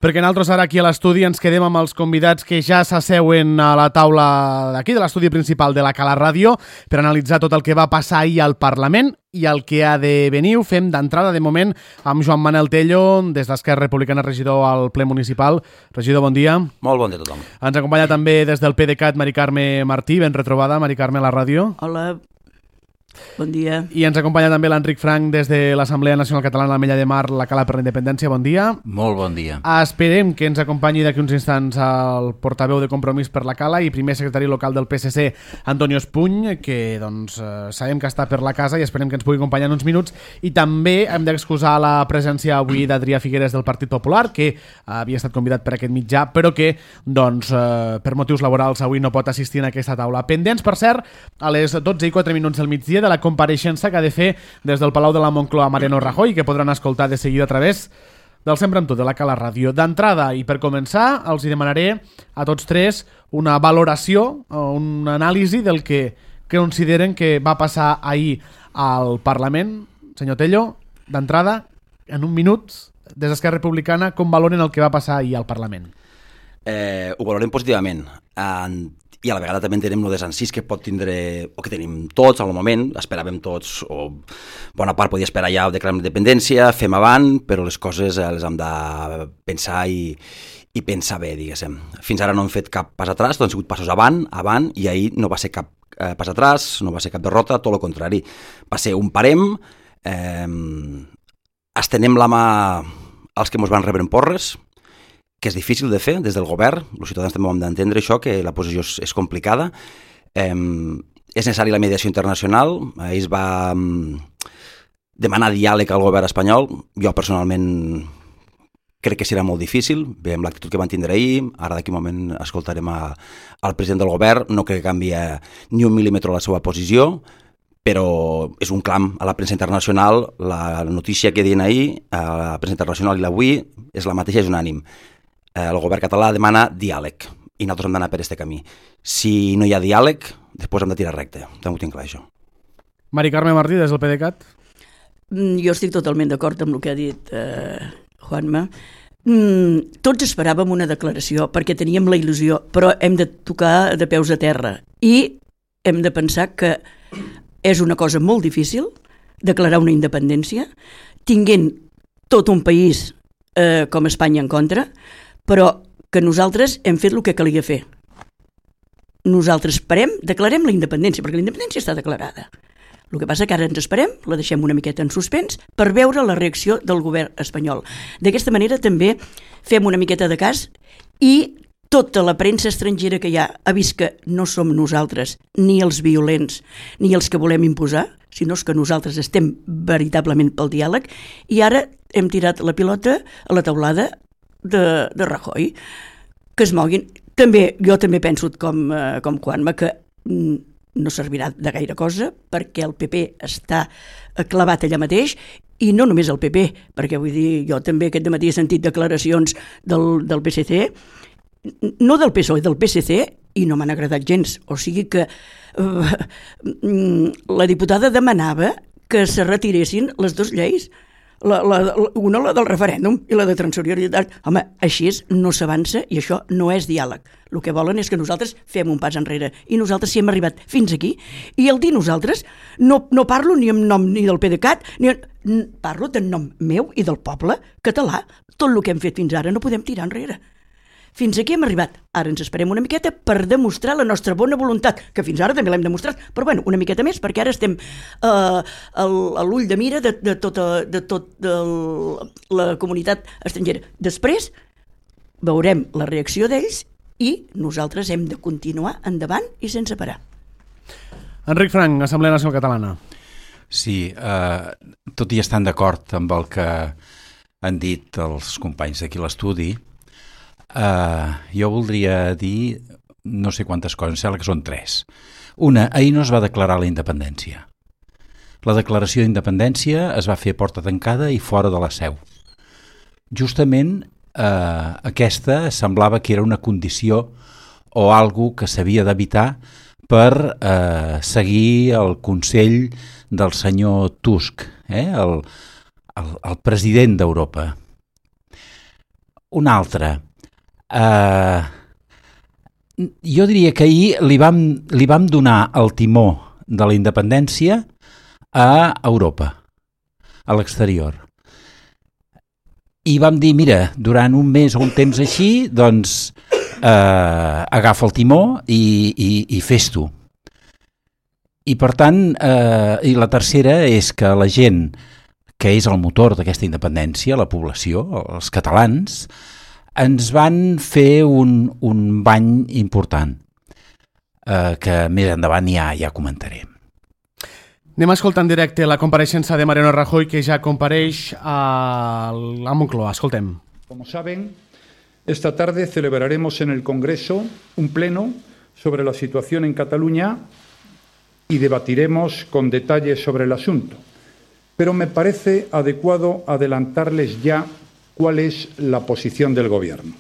Perquè nosaltres ara aquí a l'estudi ens quedem amb els convidats que ja s'asseuen a la taula d'aquí, de l'estudi principal de la Cala Ràdio, per analitzar tot el que va passar ahir al Parlament i el que ha de venir. Ho fem d'entrada, de moment, amb Joan Manel Tello, des d'Esquerra Republicana, regidor al ple municipal. Regidor, bon dia. Molt bon dia a tothom. Ens acompanya també des del PDeCAT Mari Carme Martí. Ben retrobada, Mari Carme, a la ràdio. Hola, bon dia. I ens acompanya també l'Enric Frank des de l'Assemblea Nacional Catalana d'Ametlla de Mar, la Cala per la Independència. Bon dia. Molt bon dia. Esperem que ens acompanyi d'aquí uns instants el portaveu de Compromís per la Cala i primer secretari local del PSC, Antonio Espuny, que sabem que està per la casa i esperem que ens pugui acompanyar en uns minuts. I també hem d'excusar la presència avui d'Adrià Figueres del Partit Popular, que havia estat convidat per aquest mitjà, però que per motius laborals avui no pot assistir en aquesta taula. Pendents, per cert, a les 12:04 del migdia de la compareixença que ha de fer des del Palau de la Moncloa Mariano Rajoy, que podran escoltar de seguida a través del Sempre amb tu, de la Cala Ràdio. D'entrada, i per començar, els hi demanaré a tots tres una valoració o una anàlisi del que consideren que va passar ahir al Parlament. Senyor Tello, d'entrada, en un minut, des d'Esquerra Republicana, com valoren el que va passar ahir al Parlament? Ho valorem positivament. I a la vegada també entenem el desencís que pot tindre, o que tenim tots al moment, esperàvem tots, o bona part podia esperar ja o declarar independència, fem avant, però les coses les hem de pensar i pensar bé, diguéssim. Fins ara no hem fet cap pas atràs, tot han sigut passos avant, i ahir no va ser cap pas atràs, no va ser cap derrota, tot el contrari. Va ser un parem, estenem la mà als que ens van rebre en porres, que és difícil de fer des del govern, els ciutadans també ho hem d'entendre això, que la posició és complicada. És necessària la mediació internacional, es va demanar diàleg al govern espanyol, jo personalment crec que serà molt difícil, veiem l'actitud que van tindre ahir, ara d'aquí un moment escoltarem al president del govern, no crec que canvi ni un mil·límetre la seva posició, però és un clam a la premsa internacional, la notícia que deien ahir, a la premsa internacional i l'avui, és la mateixa, és unànim. El govern català demana diàleg i nosaltres hem d'anar per aquest camí. Si no hi ha diàleg, després hem de tirar recte. També ho tinc clar, això. Mari Carme Martí, des del PDeCAT. Jo estic totalment d'acord amb el que ha dit Juanma. Tots esperàvem una declaració perquè teníem la il·lusió, però hem de tocar de peus a terra i hem de pensar que és una cosa molt difícil declarar una independència tinguent tot un país com Espanya en contra, però que nosaltres hem fet el que calia fer. Nosaltres declarem la independència, perquè la independència està declarada. El que passa que ara ens esperem, la deixem una miqueta en suspens, per veure la reacció del govern espanyol. D'aquesta manera també fem una miqueta de cas i tota la premsa estrangera que hi ha vist que no som nosaltres ni els violents ni els que volem imposar, sinó que nosaltres estem veritablement pel diàleg i ara hem tirat la pilota a la teulada de Rajoy. Que es moguin. Jo també penso com Juanma que no servirà de gaire cosa perquè el PP està clavat allà mateix i no només el PP, perquè vull dir, jo també aquest dematí he sentit declaracions del PSC, no del PSOE, del PSC, i no m'han agradat gens. O sigui que la diputada demanava que se retiressin les dues lleis, una la del referèndum i la de transitorietat. Home, així no s'avança i això no és diàleg. El que volen és que nosaltres fem un pas enrere i nosaltres sí hem arribat fins aquí i el dir nosaltres no parlo ni en nom ni del PDeCAT, parlo en nom meu i del poble català. Tot el que hem fet fins ara no podem tirar enrere. Fins aquí hem arribat. Ara ens esperem una miqueta per demostrar la nostra bona voluntat, que fins ara també l'hem demostrat, però bueno, una miqueta més, perquè ara estem a l'ull de mira de tota la comunitat estrangera. Després veurem la reacció d'ells i nosaltres hem de continuar endavant i sense parar. Enric Frank, Assemblea Nacional Catalana. Sí, tot i estant d'acord amb el que han dit els companys d'aquí a l'estudi, jo voldria dir no sé quantes coses, sembla que són 3. Una, ahir no es va declarar la independència. La declaració d'independència es va fer a porta tancada i fora de la seu. Justament aquesta semblava que era una condició o algo que s'havia d'evitar per seguir el consell del senyor Tusk, el president d'Europa. Una altra. Jo diria que ahir li vam donar el timó de la independència a Europa, a l'exterior. I vam dir, mira, durant un mes o un temps així, doncs agafa el timó i fes-t'ho. I per tant, i la tercera és que la gent que és el motor d'aquesta independència, la població, els catalans, ens van fer un bany important, que més endavant ja comentaré. Anem a escoltar en directe la compareixença de Mariano Rajoy, que ja compareix a Moncloa. Escoltem. Como saben, esta tarde celebraremos en el Congreso un pleno sobre la situación en Cataluña y debatiremos con detalle sobre el asunto. Pero me parece adecuado adelantarles ya cuál es la posición del Gobierno.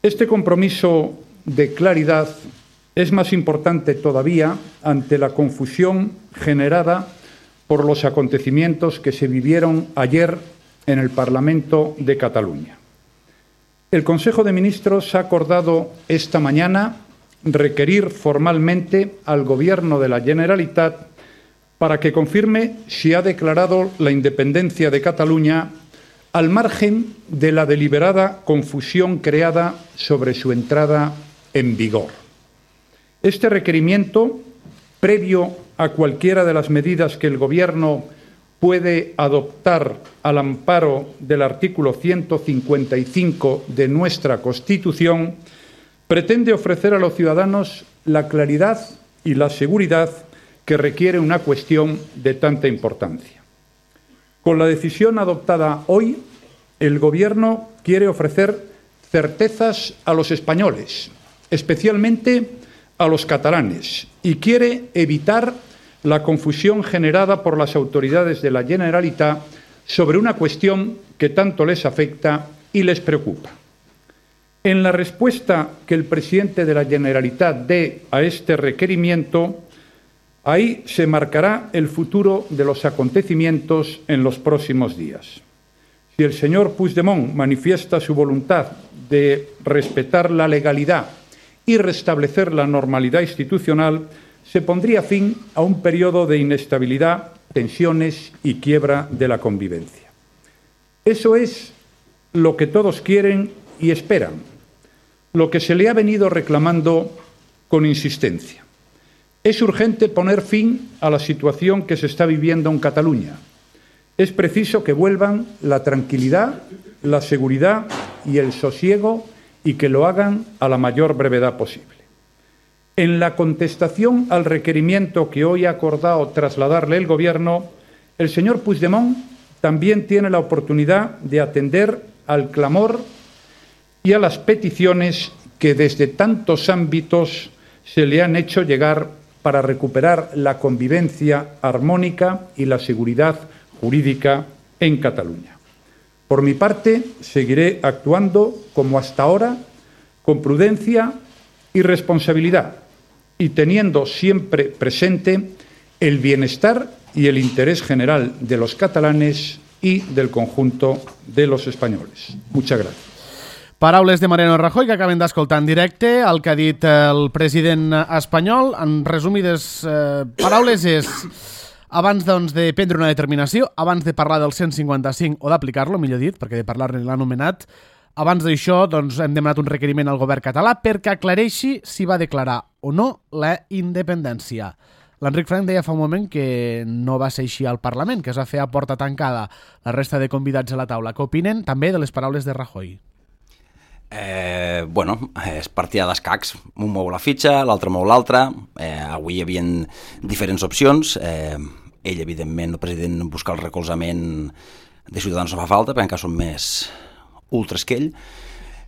Este compromiso de claridad es más importante todavía ante la confusión generada por los acontecimientos que se vivieron ayer en el Parlamento de Cataluña. El Consejo de Ministros ha acordado esta mañana requerir formalmente al Gobierno de la Generalitat para que confirme si ha declarado la independencia de Cataluña al margen de la deliberada confusión creada sobre su entrada en vigor. Este requerimiento, previo a cualquiera de las medidas que el Gobierno puede adoptar al amparo del artículo 155 de nuestra Constitución, pretende ofrecer a los ciudadanos la claridad y la seguridad que requiere una cuestión de tanta importancia. Con la decisión adoptada hoy, el Gobierno quiere ofrecer certezas a los españoles, especialmente a los catalanes, y quiere evitar la confusión generada por las autoridades de la Generalitat sobre una cuestión que tanto les afecta y les preocupa. En la respuesta que el presidente de la Generalitat dé a este requerimiento, ahí se marcará el futuro de los acontecimientos en los próximos días. Si el señor Puigdemont manifiesta su voluntad de respetar la legalidad y restablecer la normalidad institucional, se pondría fin a un periodo de inestabilidad, tensiones y quiebra de la convivencia. Eso es lo que todos quieren y esperan, lo que se le ha venido reclamando con insistencia. Es urgente poner fin a la situación que se está viviendo en Cataluña. Es preciso que vuelvan la tranquilidad, la seguridad y el sosiego y que lo hagan a la mayor brevedad posible. En la contestación al requerimiento que hoy ha acordado trasladarle el Gobierno, el señor Puigdemont también tiene la oportunidad de atender al clamor y a las peticiones que desde tantos ámbitos se le han hecho llegar para recuperar la convivencia armónica y la seguridad jurídica en Cataluña. Por mi parte, seguiré actuando como hasta ahora, con prudencia y responsabilidad, y teniendo siempre presente el bienestar y el interés general de los catalanes y del conjunto de los españoles. Muchas gracias. Paraules de Mariano Rajoy que acaben d'escoltar en directe. El que ha dit el president espanyol, en resumides paraules, és abans doncs, de prendre una determinació, abans de parlar del 155 o d'aplicar-lo, millor dit, perquè de parlar-ne l'ha anomenat, abans d'això doncs, hem demanat un requeriment al govern català perquè aclareixi si va declarar o no la independència. L'Enric Frank deia fa un moment que no va ser així al Parlament, que es va fer a porta tancada la resta de convidats a la taula. Què opinen també de les paraules de Rajoy? Bueno, és partida d'escacs, un mou la fitxa, l'altre mou l'altre. Avui hi havia diferents opcions. Ell, evidentment, el president, busca el recolzament de Ciutadans no fa falta, perquè encara són més ultres que ell,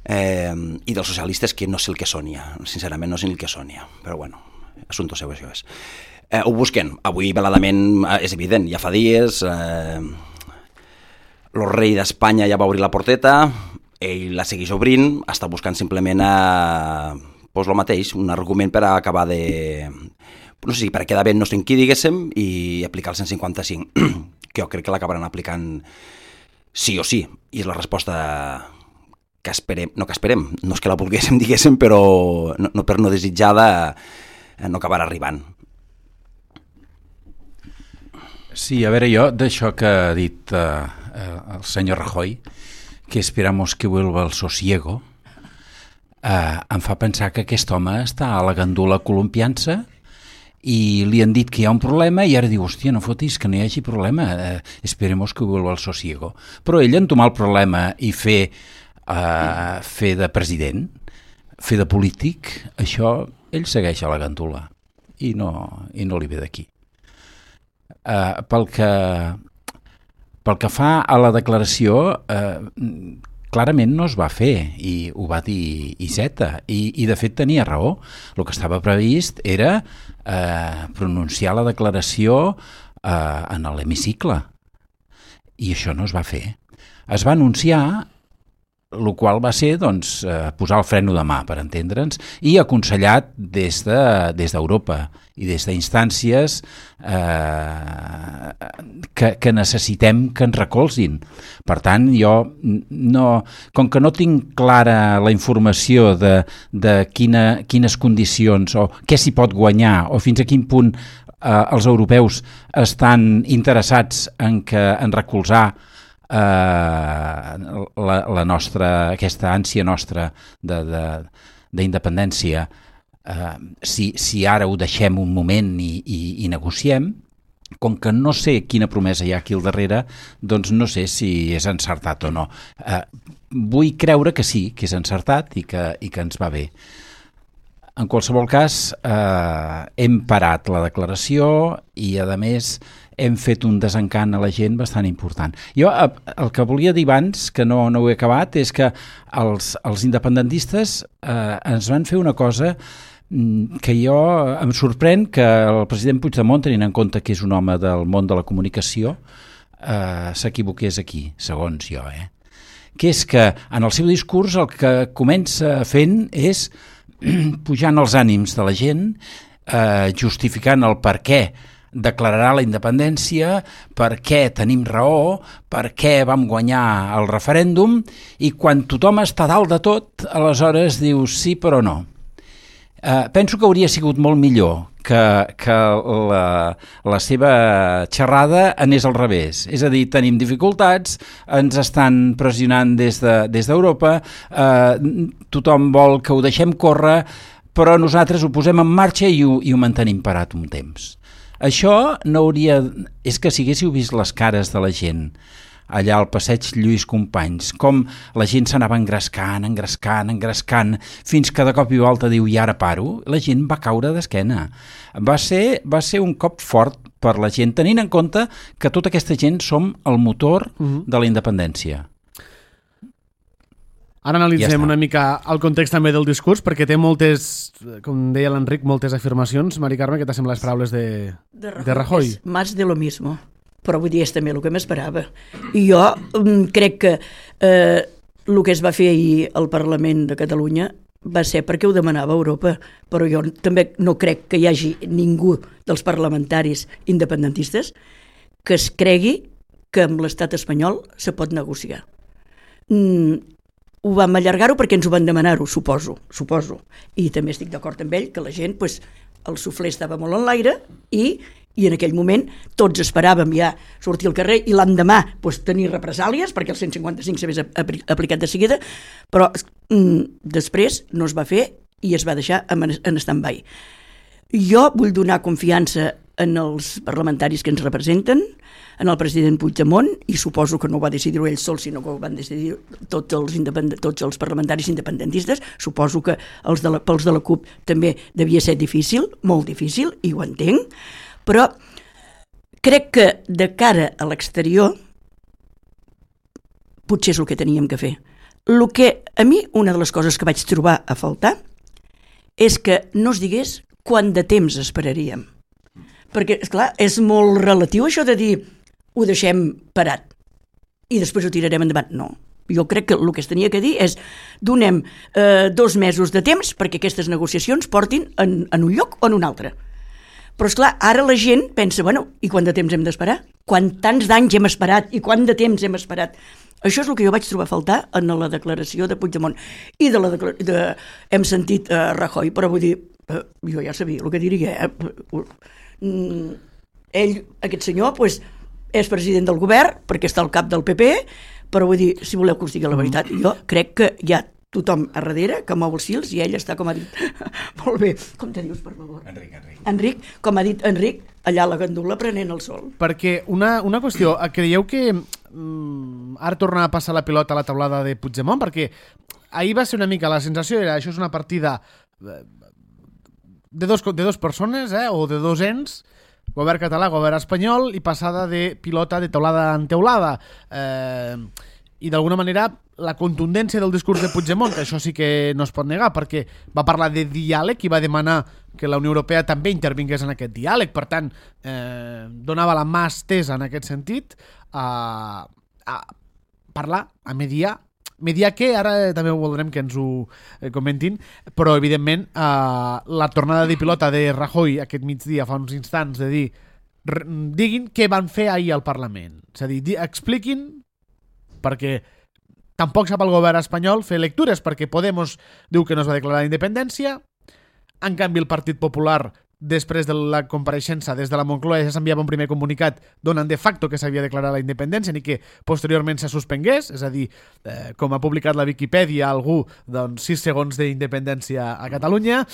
i dels socialistes, que no sé el que sonia, sincerament no sé el que sonia, però bueno, assumpte seu, això és. Ho busquen, avui veladament és evident, ja fa dies, el rei d'Espanya ja va obrir la porteta, ell la segueix obrint, està buscant simplement pues, el mateix, un argument per acabar de... no sé si per quedar bé no sé en qui, diguéssim, i aplicar el 155, que jo crec que l'acabaran aplicant sí o sí, i és la resposta que esperem, no és que la volguéssim, diguéssim, però no per no desitjada no acabarà arribant. Sí, a veure, jo d'això que ha dit el senyor Rajoy, que esperamos que vuelva el sosiego, em fa pensar que aquest home està a la gandula columpiant-se i li han dit que hi ha un problema i ara diu, hòstia, no fotis que no hi hagi problema, esperemos que vuelva el sosiego. Però ell entomar el problema i fer de president, fer de polític, això ell segueix a la gandula i no li ve d'aquí. Pel que fa a la declaració, clarament no es va fer, i ho va dir Iceta, i de fet tenia raó. El que estava previst era pronunciar la declaració en l'hemicicle, i això no es va fer. Es va anunciar, el qual va ser doncs, posar el freno de mà, per entendre'ns, i aconsellat des d'Europa i des d'instàncies que necessitem que ens recolzin. Per tant, jo, com que no tinc clara la informació de quines condicions o què s'hi pot guanyar o fins a quin punt els europeus estan interessats en recolzar aquesta ànsia nostra d'independència, si ara ho deixem un moment i negociem, com que no sé quina promesa hi ha aquí al darrere, doncs no sé si és encertat o no. Vull creure que sí, que és encertat i que ens va bé. En qualsevol cas, hem parat la declaració i, a més, hem fet un desencant a la gent bastant important. Jo el que volia dir abans, que no ho he acabat, és que els independentistes ens van fer una cosa que jo em sorprèn que el president Puigdemont, tenint en compte que és un home del món de la comunicació, s'equivoqués aquí, segons jo. Que és que en el seu discurs el que comença fent és pujant els ànims de la gent, justificant el per què declararà la independència, per què tenim raó, per què vam guanyar el referèndum, i quan tothom està dalt de tot, aleshores dius sí però no. Penso que hauria sigut molt millor que la seva xerrada anés al revés. És a dir, tenim dificultats, ens estan pressionant des d'Europa, tothom vol que ho deixem córrer, però nosaltres ho posem en marxa i ho mantenim parat un temps. Això no hauria... És que si haguéssiu vist les cares de la gent allà al passeig Lluís Companys, com la gent s'anava engrescant, fins que de cop i volta diu i ara paro, la gent va caure d'esquena. Va ser un cop fort per la gent, tenint en compte que tota aquesta gent som el motor de la independència. Ara analitzem una mica el context també del discurs, perquè té moltes, com deia l'Enric, moltes afirmacions. Mari Carme, què t'assemblen les paraules de Rajoy? Más de lo mismo. Però vull dir, és també el que m'esperava. I jo crec que el que es va fer ahir al Parlament de Catalunya va ser perquè ho demanava Europa, però jo també no crec que hi hagi ningú dels parlamentaris independentistes que es cregui que amb l'estat espanyol se pot negociar. Ho vam allargar-ho perquè ens ho van demanar-ho, suposo. I també estic d'acord amb ell que la gent, el suflé estava molt en l'aire i en aquell moment tots esperàvem ja sortir al carrer i l'endemà tenir represàlies perquè el 155 s'hagués aplicat de seguida, però després no es va fer i es va deixar en stand-by. Jo vull donar confiança en els parlamentaris que ens representen, en el president Puigdemont, i suposo que no ho va decidir ell sol, sinó que ho van decidir tots els parlamentaris independentistes. Suposo que pels de la CUP també devia ser difícil, molt difícil, i ho entenc, però crec que de cara a l'exterior potser és el que teníem que fer. El que a mi, una de les coses que vaig trobar a faltar és que no es digués quant de temps esperaríem. Perquè, esclar, és molt relatiu això de dir ho deixem parat i després ho tirarem endavant. No, jo crec que el que es tenia que dir és donem 2 mesos de temps perquè aquestes negociacions portin en un lloc o en un altre. Però, esclar, ara la gent pensa, i quant de temps hem d'esperar? Tants d'anys hem esperat i quant de temps hem esperat? Això és el que jo vaig trobar a faltar en la declaració de Puigdemont. I hem sentit Rajoy, però vull dir, jo ja sabia el que diria. Ell, aquest senyor, és president del govern, perquè està al cap del PP, però vull dir, si voleu que us digui la veritat, jo crec que hi ha tothom a darrere que mou els fils i ell està, com ha dit, molt bé, com te dius, per favor? Enric, com ha dit Enric, allà a la gandula prenent el sol. Perquè una qüestió, creieu que ara torna a passar la pilota a la taulada de Puigdemont? Perquè ahir va ser una mica, la sensació era, això és una partida de dos persones, o de dos ens, govern català, govern espanyol, i passada de pilota de teulada en teulada. I d'alguna manera la contundència del discurs de Puigdemont, que això sí que no es pot negar, perquè va parlar de diàleg i va demanar que la Unió Europea també intervingués en aquest diàleg, per tant donava la mà estesa en aquest sentit a parlar, a mediar que ara també voldrem que ens ho comentin, però evidentment la tornada de pilota de Rajoy aquest migdia fa uns instants de dir diguin què van fer ahir al Parlament, és a dir, expliquin, perquè tampoc sap el govern espanyol fer lectures, perquè Podemos diu que no es va declarar la independència, en canvi el Partit Popular, després de la compareixença des de la Moncloa, ja s'enviava un primer comunicat donant de facto que s'havia declarat la independència ni que posteriorment se suspengués, és a dir, com ha publicat la Viquipèdia algú, doncs 6 segons d'independència a Catalunya.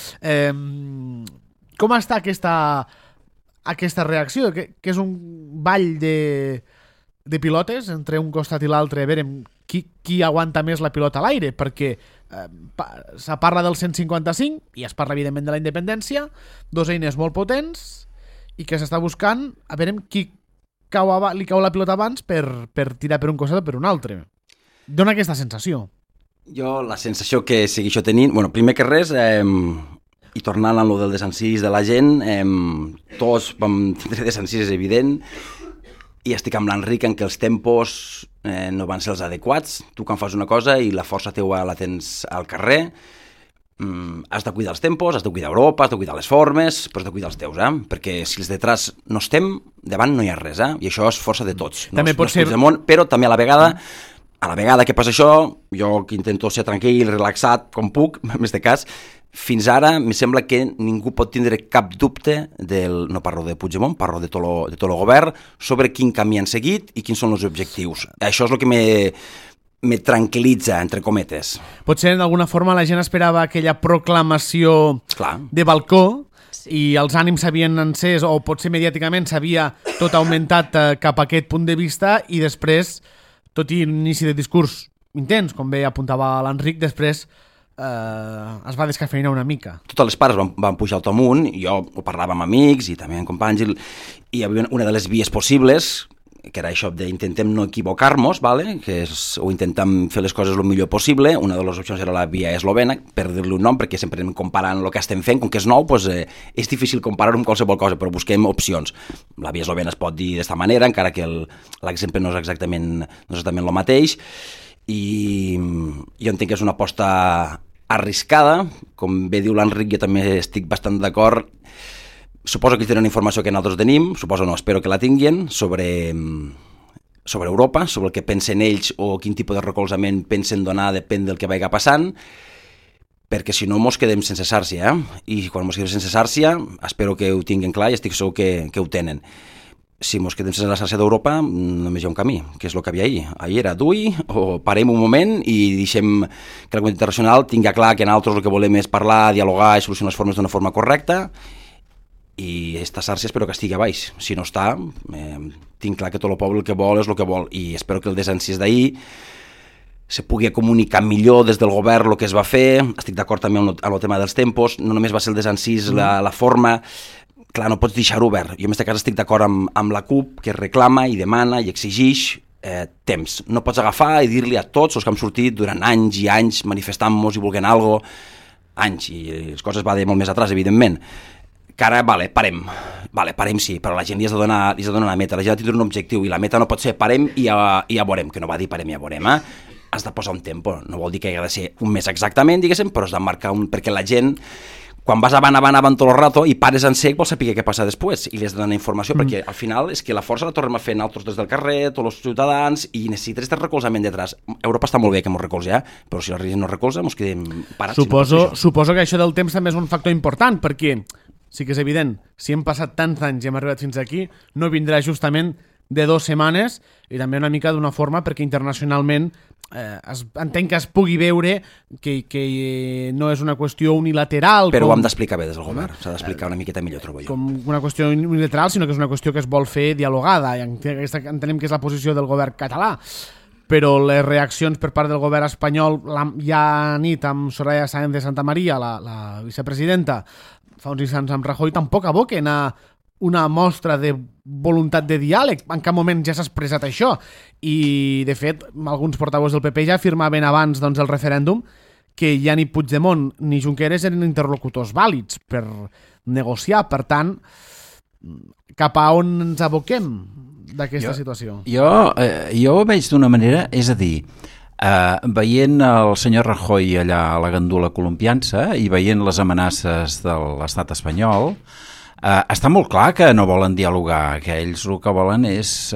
Com està aquesta reacció? Que és un ball de pilotes entre un costat i l'altre, a veure qui aguanta més la pilota a l'aire, perquè se parla del 155 i es parla evidentment de la independència, dos eines molt potents i que s'està buscant a veure qui li cau la pilota abans per tirar per un costat o per un altre. Dóna aquesta sensació. Jo la sensació que segueixo tenint, bueno, primer que res, i tornant a lo del desencís de la gent, tots vam tindre desencís, és evident, i estic amb l'Enric en què els tempos no van ser els adequats. Tu quan fas una cosa i la força teua la tens al carrer, has de cuidar els tempos, has de cuidar Europa, has de cuidar les formes, però has de cuidar els teus, perquè si els detrás no estem, davant no hi ha res, i això és força de tots. També pot ser... Però també a la vegada que passa això, jo que intento ser tranquil, relaxat, com puc, més de cas, fins ara em sembla que ningú pot tindre cap dubte no parlo de Puigdemont, parlo de tot el govern, sobre quin camí han seguit i quins són els objectius. Això és el que me tranquil·litza, entre cometes. Potser d'alguna forma la gent esperava aquella proclamació de balcó i els ànims s'havien encès, o potser mediàticament s'havia tot augmentat cap a aquest punt de vista, i després, tot i un inici de discurs intens, com bé apuntava l'Enric, després es va descafeinar una mica. Totes les parts van pujar tot amunt, i jo ho parlava amb amics i també amb companys, i hi havia una de les vies possibles, que era això d'intentem no equivocar-nos, que o intentem fer les coses el millor possible. Una de les opcions era la via eslovena, per dir-li un nom, perquè sempre anem comparant el que estem fent, com que és nou, doncs, és difícil comparar-ho amb qualsevol cosa, però busquem opcions. La via eslovena es pot dir d'esta manera, encara que l'exemple no és exactament el mateix, i jo entenc que és una aposta arriscada, com bé diu l'Enric, jo també estic bastant d'acord. Suposo que tenen informació que nosaltres tenim, suposo no, espero que la tinguin, sobre Europa, sobre el que pensen ells o quin tipus de recolzament pensen donar, depèn del que vagi passant, perquè si no mos quedem sense sàrcia, i quan mos quedem sense sàrcia, espero que ho tinguin clar i estic segur que ho tenen. Si mos quedem sense la sàrcia d'Europa, només hi ha un camí, que és el que havia ahir. Ahir era d'ui, o parem un moment i deixem que la comunitat internacional tingui clar que nosaltres el que volem és parlar, dialogar i solucionar les formes d'una forma correcta, i esta sàrcia espero que estigui a baix. Si no està, tinc clar que tot el poble el que vol és el que vol, i espero que el desencís d'ahir se pugui comunicar millor des del govern el que es va fer. Estic d'acord també amb el tema dels tempos, no només va ser el desencís, la forma. Clar, no pots deixar-ho obert. Jo en aquest cas estic d'acord amb la CUP, que reclama i demana i exigeix temps. No pots agafar i dir-li a tots els que han sortit durant anys i anys manifestant-nos i volent alguna cosa, anys, i les coses va de molt més atrás, evidentment, que ara, parem sí, però la gent li has de donar una meta, la gent ha de tindre un objectiu, i la meta no pot ser parem i ja veurem, que no va dir parem i ja veurem, Has de posar un tempo, no vol dir que ha de ser un mes exactament, diguéssim, però has de marcar perquè la gent, quan vas avant tot el rato i pares en sec, vols saber què passa després i li has de donar informació, perquè al final és que la força la tornem a fer nosaltres des del carrer, tots els ciutadans, i necessites este recolzament detrás. Europa està molt bé que ens recolza, però si la gent no recolza, ens quedem parats. Suposo que això del temps també és un factor important, perquè sí que és evident, si hem passat tants anys i hem arribat fins aquí, no vindrà justament de 2 setmanes, i també una mica d'una forma perquè internacionalment entenc que es pugui veure que no és una qüestió unilateral. Però ho hem d'explicar bé des del govern, s'ha d'explicar una miqueta millor, trobo jo. Com una qüestió unilateral, sinó que és una qüestió que es vol fer dialogada, i entenem que és la posició del govern català. Però les reaccions per part del govern espanyol, ja nit amb Soraya Sáenz de Santamaría, la vicepresidenta, fa uns instants amb Rajoy, tampoc aboquen a una mostra de voluntat de diàleg. En cap moment ja s'ha expressat això. I, de fet, alguns portaveus del PP ja afirmaven abans del referèndum que ja ni Puigdemont ni Junqueras eren interlocutors vàlids per negociar. Per tant, cap a on ens aboquem d'aquesta situació? Jo ho veig d'una manera, és a dir, veient el senyor Rajoy allà a la gandula columpiant-se i veient les amenaces de l'estat espanyol, està molt clar que no volen dialogar, que ells el que volen és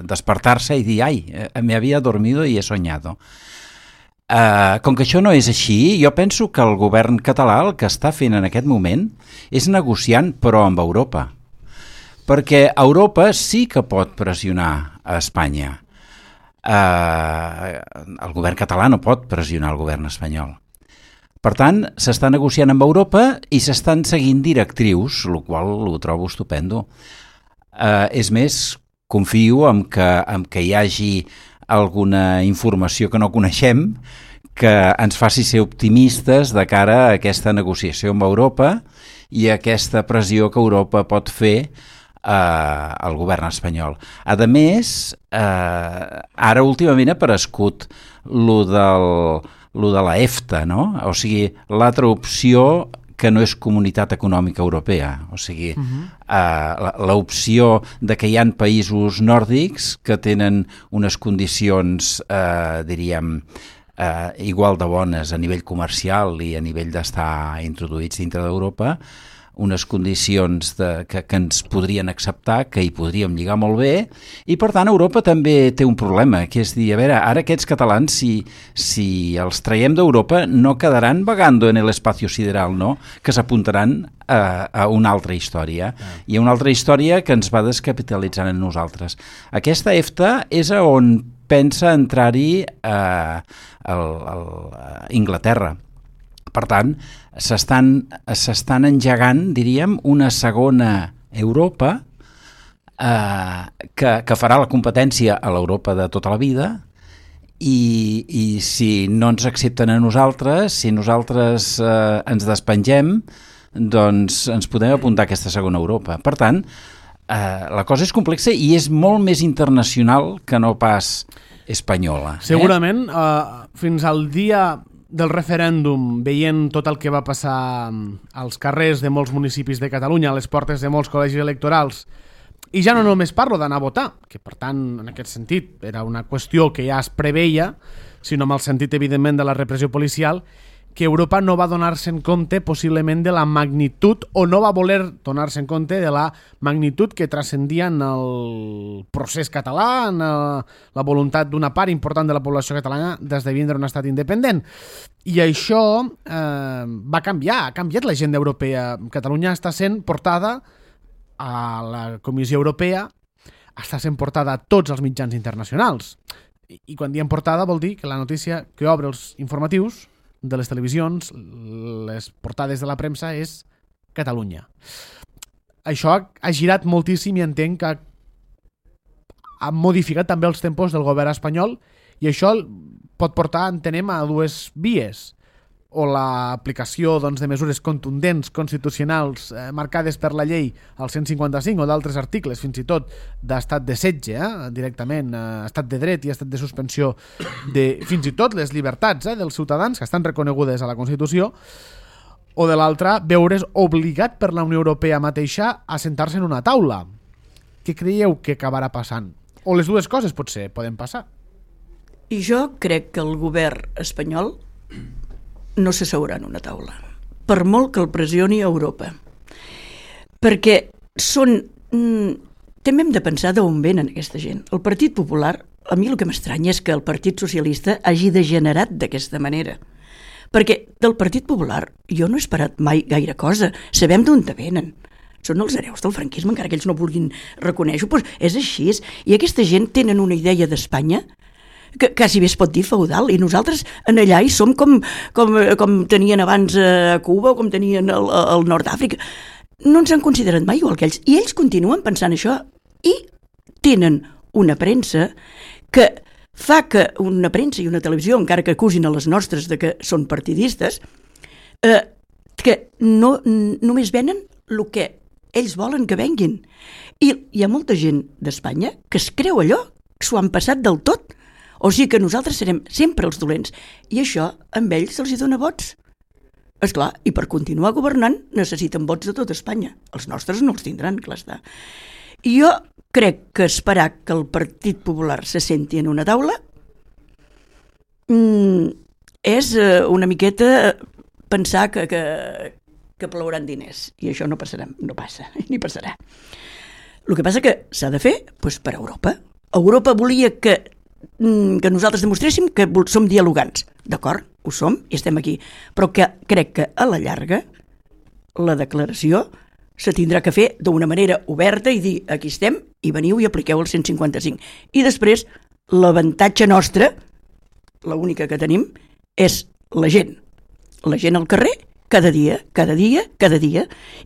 despertar-se i dir, ai, me había dormido y he soñado. Com que això no és així, jo penso que el govern català el que està fent en aquest moment és negociant, però amb Europa. Perquè Europa sí que pot pressionar a Espanya. El govern català no pot pressionar el govern espanyol. Per tant, s'està negociant amb Europa i s'estan seguint directrius, el qual ho trobo estupendo. És més, confio en que hi hagi alguna informació que no coneixem que ens faci ser optimistes de cara a aquesta negociació amb Europa i a aquesta pressió que Europa pot fer al govern espanyol. A més, ara últimament ha aparegut lo de la EFTA, no? O sigui, l'altra opció que no és Comunitat Econòmica Europea. O sigui, l'opció de que hi ha països nòrdics que tenen unes condicions, diríem, igual de bones a nivell comercial i a nivell d'estar introduïts dintre d'Europa, unes condicions que ens podrien acceptar, que hi podríem lligar molt bé, i per tant Europa també té un problema, que és dir, a veure, ara aquests catalans, si els traiem d'Europa, no quedaran vagando en l'espacio sideral, no? Que s'apuntaran a una altra història, i a una altra història que ens va descapitalitzant en nosaltres. Aquesta EFTA és on pensa entrar-hi Inglaterra. Per tant, s'estan engegant, diríem, una segona Europa que farà la competència a l'Europa de tota la vida i si no ens accepten a nosaltres, si nosaltres ens despengem, doncs ens podem apuntar a aquesta segona Europa. Per tant, la cosa és complexa i és molt més internacional que no pas espanyola. Segurament, fins al dia del referèndum, veient tot el que va passar als carrers de molts municipis de Catalunya, a les portes de molts col·legis electorals, i ja no només parlo d'anar a votar, que per tant, en aquest sentit, era una qüestió que ja es preveia, sinó amb el sentit, evidentment, de la repressió policial, que Europa no va donar-se en compte possiblement de la magnitud, o no va voler donar-se en compte de la magnitud que transcendia en el procés català, en la voluntat d'una part important de la població catalana d'esdevindre un estat independent. I això va canviar, ha canviat l'agenda europea. Catalunya està sent portada a la Comissió Europea, està sent portada a tots els mitjans internacionals. I quan diem portada vol dir que la notícia que obre els informatius de les televisions, les portades de la premsa, és Catalunya. Això ha girat moltíssim i entenc que ha modificat també els tempos del govern espanyol, i això pot portar, entenem, a dues vies. O l'aplicació de mesures contundents, constitucionals, marcades per la llei al 155 o d'altres articles, fins i tot d'estat de setge, directament, estat de dret i estat de suspensió de fins i tot les llibertats dels ciutadans que estan reconegudes a la Constitució, o de l'altra, veure's obligat per la Unió Europea mateixa a sentar-se en una taula. Què creieu que acabarà passant? O les dues coses potser poden passar. I jo crec que el govern espanyol no s'asseurà en una taula, per molt que el pressioni a Europa. Perquè són... també hem de pensar d'on venen aquesta gent. El Partit Popular, a mi el que m'estranya és que el Partit Socialista hagi degenerat d'aquesta manera. Perquè del Partit Popular jo no he esperat mai gaire cosa. Sabem d'on venen. Són els hereus del franquisme, encara que ells no vulguin reconèixer-ho, doncs és així. I aquesta gent tenen una idea d'Espanya que quasi bé es pot dir feudal, i nosaltres en allà hi som com tenien abans a Cuba o com tenien al nord d'Àfrica. No ens han considerat mai igual que ells, i ells continuen pensant això, i tenen una premsa que fa que una premsa i una televisió, encara que acusin a les nostres de que són partidistes, que no només venen el que ells volen que venguin. I hi ha molta gent d'Espanya que es creu allò, que s'ho han passat del tot. O sigui que nosaltres serem sempre els dolents. I això amb ells se'ls dona vots. Esclar, i per continuar governant necessiten vots de tot Espanya. Els nostres no els tindran, clar està. I jo crec que esperar que el Partit Popular se senti en una taula és una miqueta pensar que plouran diners, i això no passarà, no passa, ni passarà. El que passa que s'ha de fer per Europa. Europa volia que nosaltres demostréssim que som dialogants. D'acord, ho som i estem aquí, però que crec que a la llarga la declaració se tindrà que fer d'una manera oberta i dir aquí estem i veniu i apliqueu el 155. I després l'avantatge nostre, l'única que tenim, és la gent al carrer, cada dia,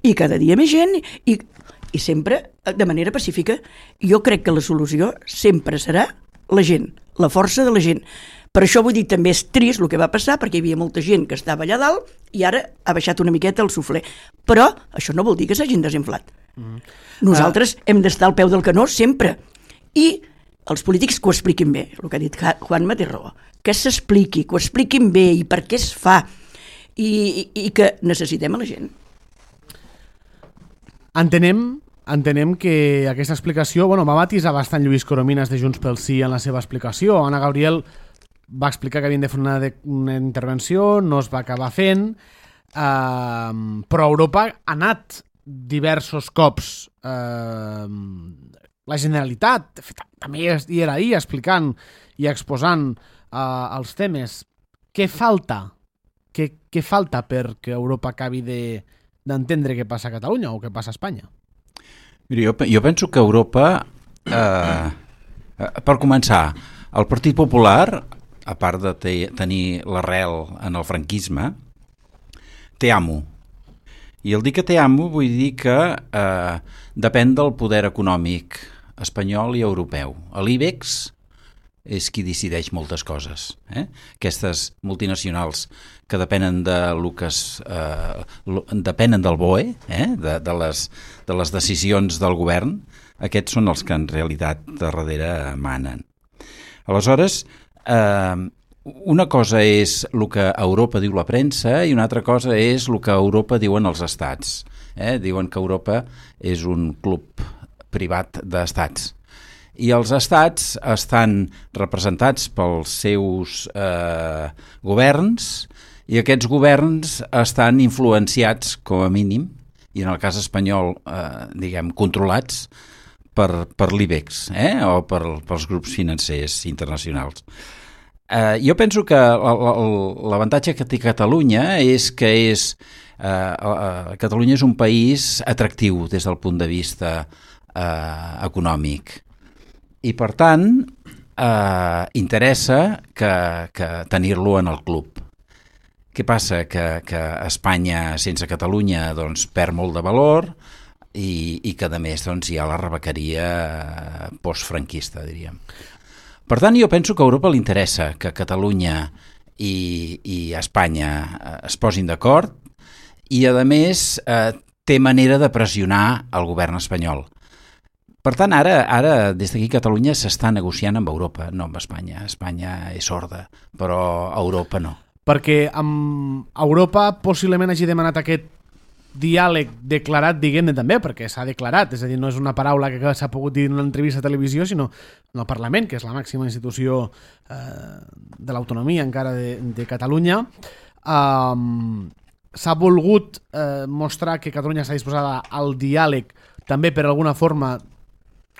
i cada dia més gent, i sempre de manera pacífica. Jo crec que la solució sempre serà la gent, la força de la gent. Per això vull dir, també és trist el que va passar, perquè hi havia molta gent que estava allà dalt i ara ha baixat una miqueta el suflé. Però això no vol dir que s'hagin desinflat. Nosaltres hem d'estar al peu del canó sempre. I els polítics que ho expliquin bé, el que ha dit Juanma té raó, que s'expliqui, que ho expliquin bé i per què es fa, i que necessitem a la gent. Entenem que aquesta explicació, va matisar bastant Lluís Corominas de Junts pel Sí en la seva explicació. Anna Gabriel va explicar que havien de fer una intervenció, no es va acabar fent, però Europa ha anat diversos cops. La Generalitat també hi era ahir explicant i exposant els temes. Què falta? Què falta perquè Europa acabi d'entendre què passa a Catalunya o què passa a Espanya? Mira, jo penso que Europa, per començar, el Partit Popular, a part de tenir l'arrel en el franquisme, té amo. I el dir que té amo vull dir que depèn del poder econòmic espanyol i europeu. L'IBEX és qui decideix moltes coses. Aquestes multinacionals que depenen depenen del BOE, de les decisions del govern, aquests són els que en realitat darrere manen. Aleshores, una cosa és el que a Europa diu la premsa i una altra cosa és el que a Europa diuen els estats. Diuen que Europa és un club privat d'estats. I els estats estan representats pels seus governs i aquests governs estan influenciats, com a mínim, i en el cas espanyol, controlats per l'IBEX o pels grups financers internacionals. Jo penso que l'avantatge que té Catalunya és que Catalunya és un país atractiu des del punt de vista econòmic. I, per tant, interessa que tenir-lo en el club. Què passa? Que Espanya, sense Catalunya, perd molt de valor i que, a més, hi ha la rebequeria postfranquista, diríem. Per tant, jo penso que a Europa li interessa que Catalunya i Espanya es posin d'acord i, a més, té manera de pressionar el govern espanyol. Per tant, ara des d'aquí Catalunya s'està negociant amb Europa, no amb Espanya. Espanya és sorda, però Europa no. Perquè amb Europa possiblement hagi demanat aquest diàleg declarat, diguem-ne també, perquè s'ha declarat, és a dir, no és una paraula que s'ha pogut dir en una entrevista a televisió, sinó en el Parlament, que és la màxima institució de l'autonomia encara de Catalunya. s'ha volgut mostrar que Catalunya està disposada al diàleg, també per alguna forma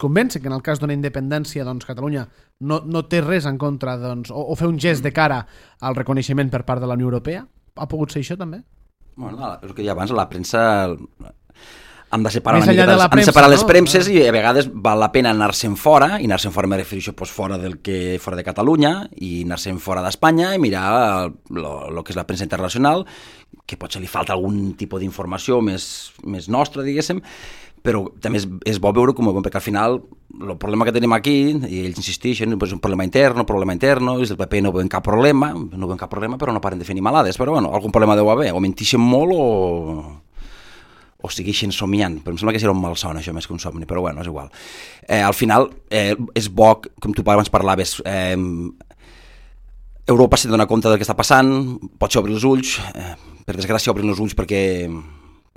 convèncer que en el cas d'una independència doncs, Catalunya no té res en contra doncs, o fer un gest de cara al reconeixement per part de la Unió Europea? Ha pogut ser això també? Bueno, és el que deia abans, la premsa hem de separar Més una mica, enllà de la premsa, separar les no? premses i a vegades val la pena anar-se'n fora, i anar-se'n fora me refereixo pues, fora de Catalunya i anar-se'n fora d'Espanya i mirar el que és la premsa internacional, que potser li falta algun tipus d'informació més nostra, diguéssim, però també és bo veure com, perquè al final el problema que tenim aquí, i ells insisteixen, és un problema interno, és del PP no veuen cap problema, però no paren de fer animalades, però bueno, algun problema deu haver, o mentixen molt o segueixen somiant, però em sembla que serà un malson això més que un somni, però bueno, és igual. Al final és bo, com tu abans parlaves, Europa s'ha de donar compte del que està passant, potser obrir els ulls, per desgràcia obrir els ulls perquè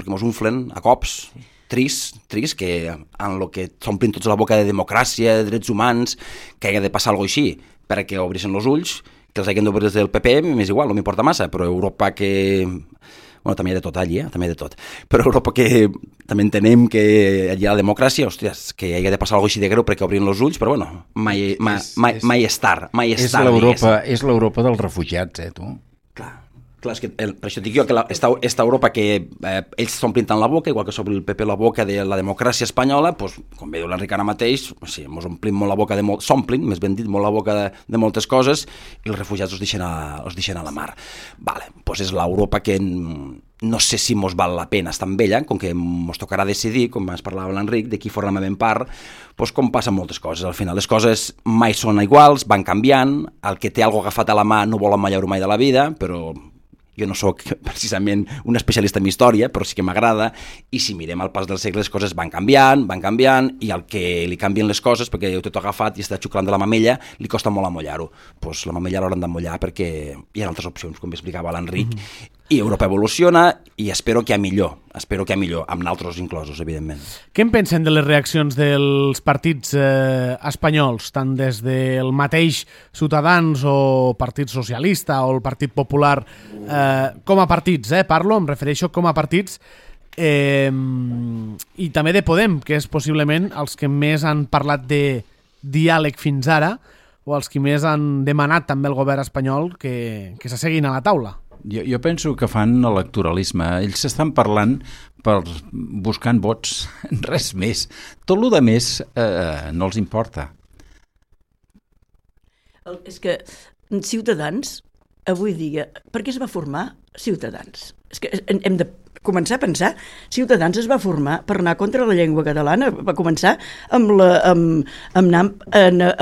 mos unflen a cops, trist, que en el que s'omplin tots la boca de democràcia, de drets humans, que hagi de passar alguna cosa així, perquè obrissin els ulls, que els hagin d'obrir des del PP, m'és igual, no m'importa massa, però Europa que... Bueno, també hi ha de tot allí, també hi ha de tot. Però Europa que també entenem que allí hi ha la democràcia, hòsties, que hi ha de passar alguna cosa així de greu perquè obrin els ulls, però bueno, mai és tard. És l'Europa dels refugiats, tu? Clar, és que per això dic jo que esta Europa que ells s'omplin tant la boca, igual que s'obre el PP la boca de la democràcia espanyola, doncs, com veieu l'Enric ara mateix, sí, ens omplim molt la boca s'omplin, més ben dit, molt la boca de moltes coses, i els refugiats els deixen a la mar. Vale, doncs és l'Europa que no sé si mos val la pena estar amb ella, com que mos tocarà decidir, com ens parlava l'Enric, de qui formem part, doncs com passen moltes coses. Al final les coses mai són iguals, van canviant, el que té alguna agafat a la mà no vol emmallar-ho mai de la vida, però jo no sóc precisament un especialista en història, però sí que m'agrada, i si mirem al pas dels segles les coses van canviant, i al que li canvien les coses, perquè ho té tot agafat i està xuclant de la mamella, li costa molt amollar-ho. Doncs la mamella l'hauran d'amollar perquè hi ha altres opcions, com explicava l'Enric, i Europa evoluciona i espero que hi ha millor, amb naltros inclosos, evidentment. Què en pensen de les reaccions dels partits espanyols, tant des del mateix Ciutadans o Partit Socialista o el Partit Popular, com a partits, parlo, em refereixo com a partits, i també de Podem, que és possiblement els que més han parlat de diàleg fins ara, o els que més han demanat també al govern espanyol que s'asseguin a la taula. Jo penso que fan electoralisme. Ells s'estan parlant buscant vots, res més. Tot el que més no els importa. És que Ciutadans, avui dia, per què es va formar Ciutadans? És que hem de començar a pensar, Ciutadans es va formar per anar contra la llengua catalana, va començar amb anar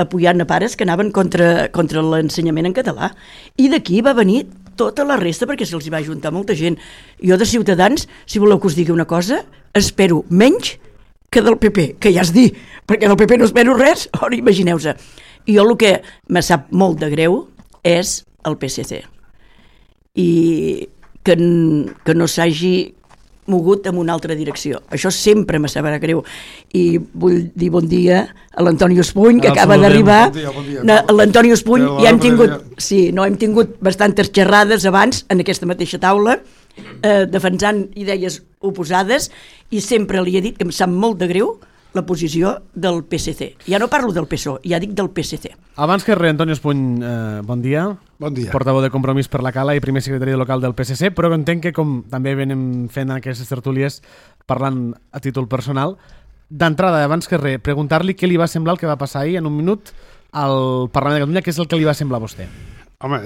apoyant a pares que anaven contra l'ensenyament en català, i d'aquí va venir tota la resta perquè se'ls va ajuntar molta gent. Jo de Ciutadans, si voleu que us digui una cosa, espero menys que del PP, que ja es dir, perquè del PP no espero res, ara imagineu-se. I jo el que me sap molt de greu és el PSC. I que no s'hagi mogut en una altra direcció. Això sempre me sabrà greu. I vull dir bon dia a l'Antoni Espuny, que acaba d'arribar. Bon dia. L'Antoni Espuny, ja hem tingut bastantes xerrades abans en aquesta mateixa taula, defensant idees oposades, i sempre li he dit que em sap molt de greu la posició del PSC. Ja no parlo del PSOE, ja dic del PSC. Abans que res, Antoni Espuny, bon dia. Bon dia. Portaveu de Compromís per la Cala i primer secretari local del PSC, però entenc que, com també venim fent en aquestes tertúlies, parlant a títol personal, d'entrada, abans que res, preguntar-li què li va semblar el que va passar ahir en un minut al Parlament de Catalunya, què és el que li va semblar a vostè? Home,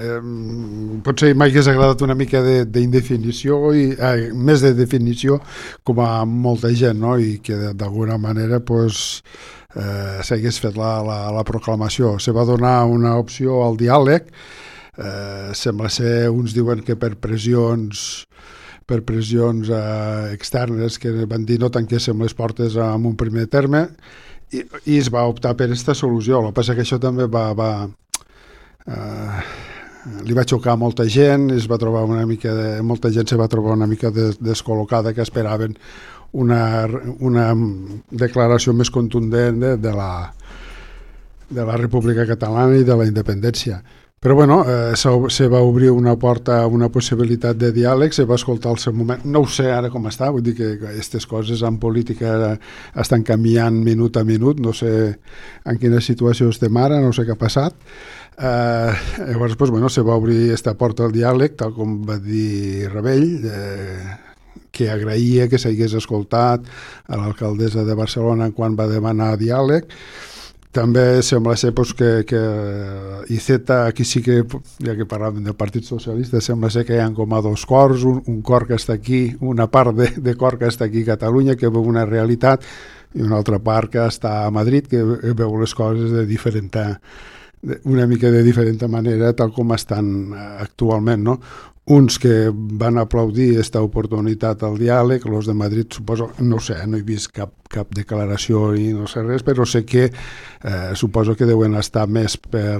potser m'hagués agradat una mica d'indefinició, més de definició com a molta gent, no? I que d'alguna manera s'hagués fet la proclamació. Se va donar una opció al diàleg, sembla ser, uns diuen que per pressions externes, que van dir no tanquéssim les portes en un primer terme, i es va optar per aquesta solució. El que passa que això també li va xocar a molta gent, molta gent se va trobar una mica descol·locada, que esperaven una declaració més contundent de la República Catalana i de la independència. Però bueno, se va obrir una porta, una possibilitat de diàleg, se va escoltar al seu moment. No ho sé ara com està, vull dir que aquestes coses en política estan canviant minut a minut, no sé en quina situació estem ara, no sé què ha passat. Llavors, pues, bueno, se va obrir aquesta porta al diàleg, tal com va dir Rebell, que agraïa que s'hagués escoltat a l'alcaldessa de Barcelona quan va demanar diàleg. També sembla ser pues, que Iceta, aquí sí que, ja que parlàvem del Partit Socialista, sembla ser que hi ha com a dos cors, un cor que està aquí, una part de cor que està aquí a Catalunya, que veu una realitat, i una altra part que està a Madrid, que veu les coses una mica de diferent manera, tal com estan actualment, no? Uns que van aplaudir aquesta oportunitat al diàleg, els de Madrid, suposo, no sé, no he vist cap declaració i no sé res, però sé que suposo que deuen estar més per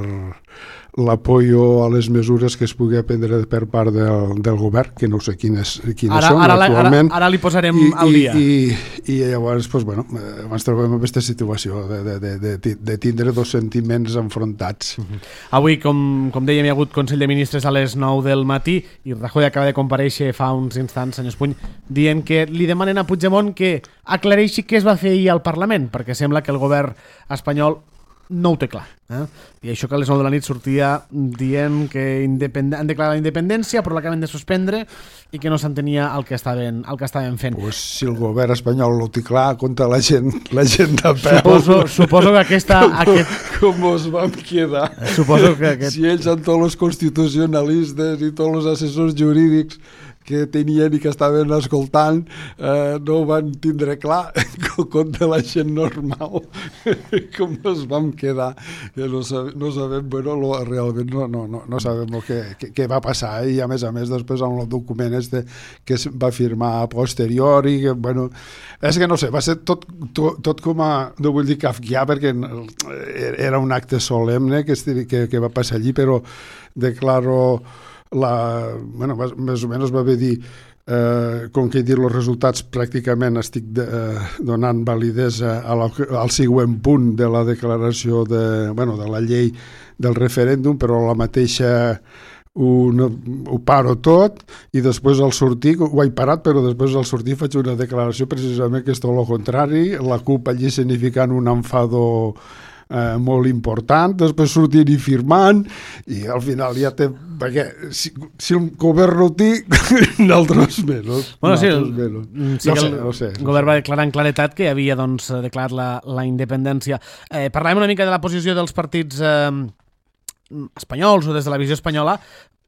l'apoyo a les mesures que es pugui prendre per part del govern, que no sé quines són actualment. Ara li posarem al dia. I llavors, pues, bueno, ens trobem en aquesta situació de tindre dos sentiments enfrontats. Avui, com dèiem, hi ha hagut Consell de Ministres a les 9 del matí i Rajoy acaba de comparèixer fa uns instants, senyor Espuny, dient que li demanen a Puigdemont que aclareixi què es va fer ahir al Parlament, perquè sembla que el govern espanyol no ho té clar. I això que a les 9 de la nit sortia dient que han declarat la independència però l'acaben de suspendre i que no s'entenia el que estaven fent. Pues si el govern espanyol ho té clar, contra la gent de peu. Suposo que Com us vam quedar? Suposo que si ells amb tots els constitucionalistes i tots els assessors jurídics que tenien i que estaven escoltant no ho van tindre clar contra la gent normal. Com ens vam quedar, que no sabem, bueno, realment no sabem què va passar, i a més després amb el document que es va firmar a posteriori, que, bueno, és que no sé, va ser tot com a, no vull dir kafkià, perquè era un acte solemne que va passar allí, però declaro més o menys va haver dir com que he dit els resultats pràcticament estic donant validesa al següent punt de la declaració de la llei del referèndum, però la mateixa ho paro tot i després al sortir, ho he parat, però després al sortir faig una declaració precisament que és tot el contrari, la CUP allí significant un enfado molt important, després sortint i firmant, i al final ja té, perquè si el govern no ho té, nosaltres menys. Bueno, sí, no sé. El govern va declarar en claretat que havia declarat la independència. Parlàvem una mica de la posició dels partits espanyols o des de la visió espanyola,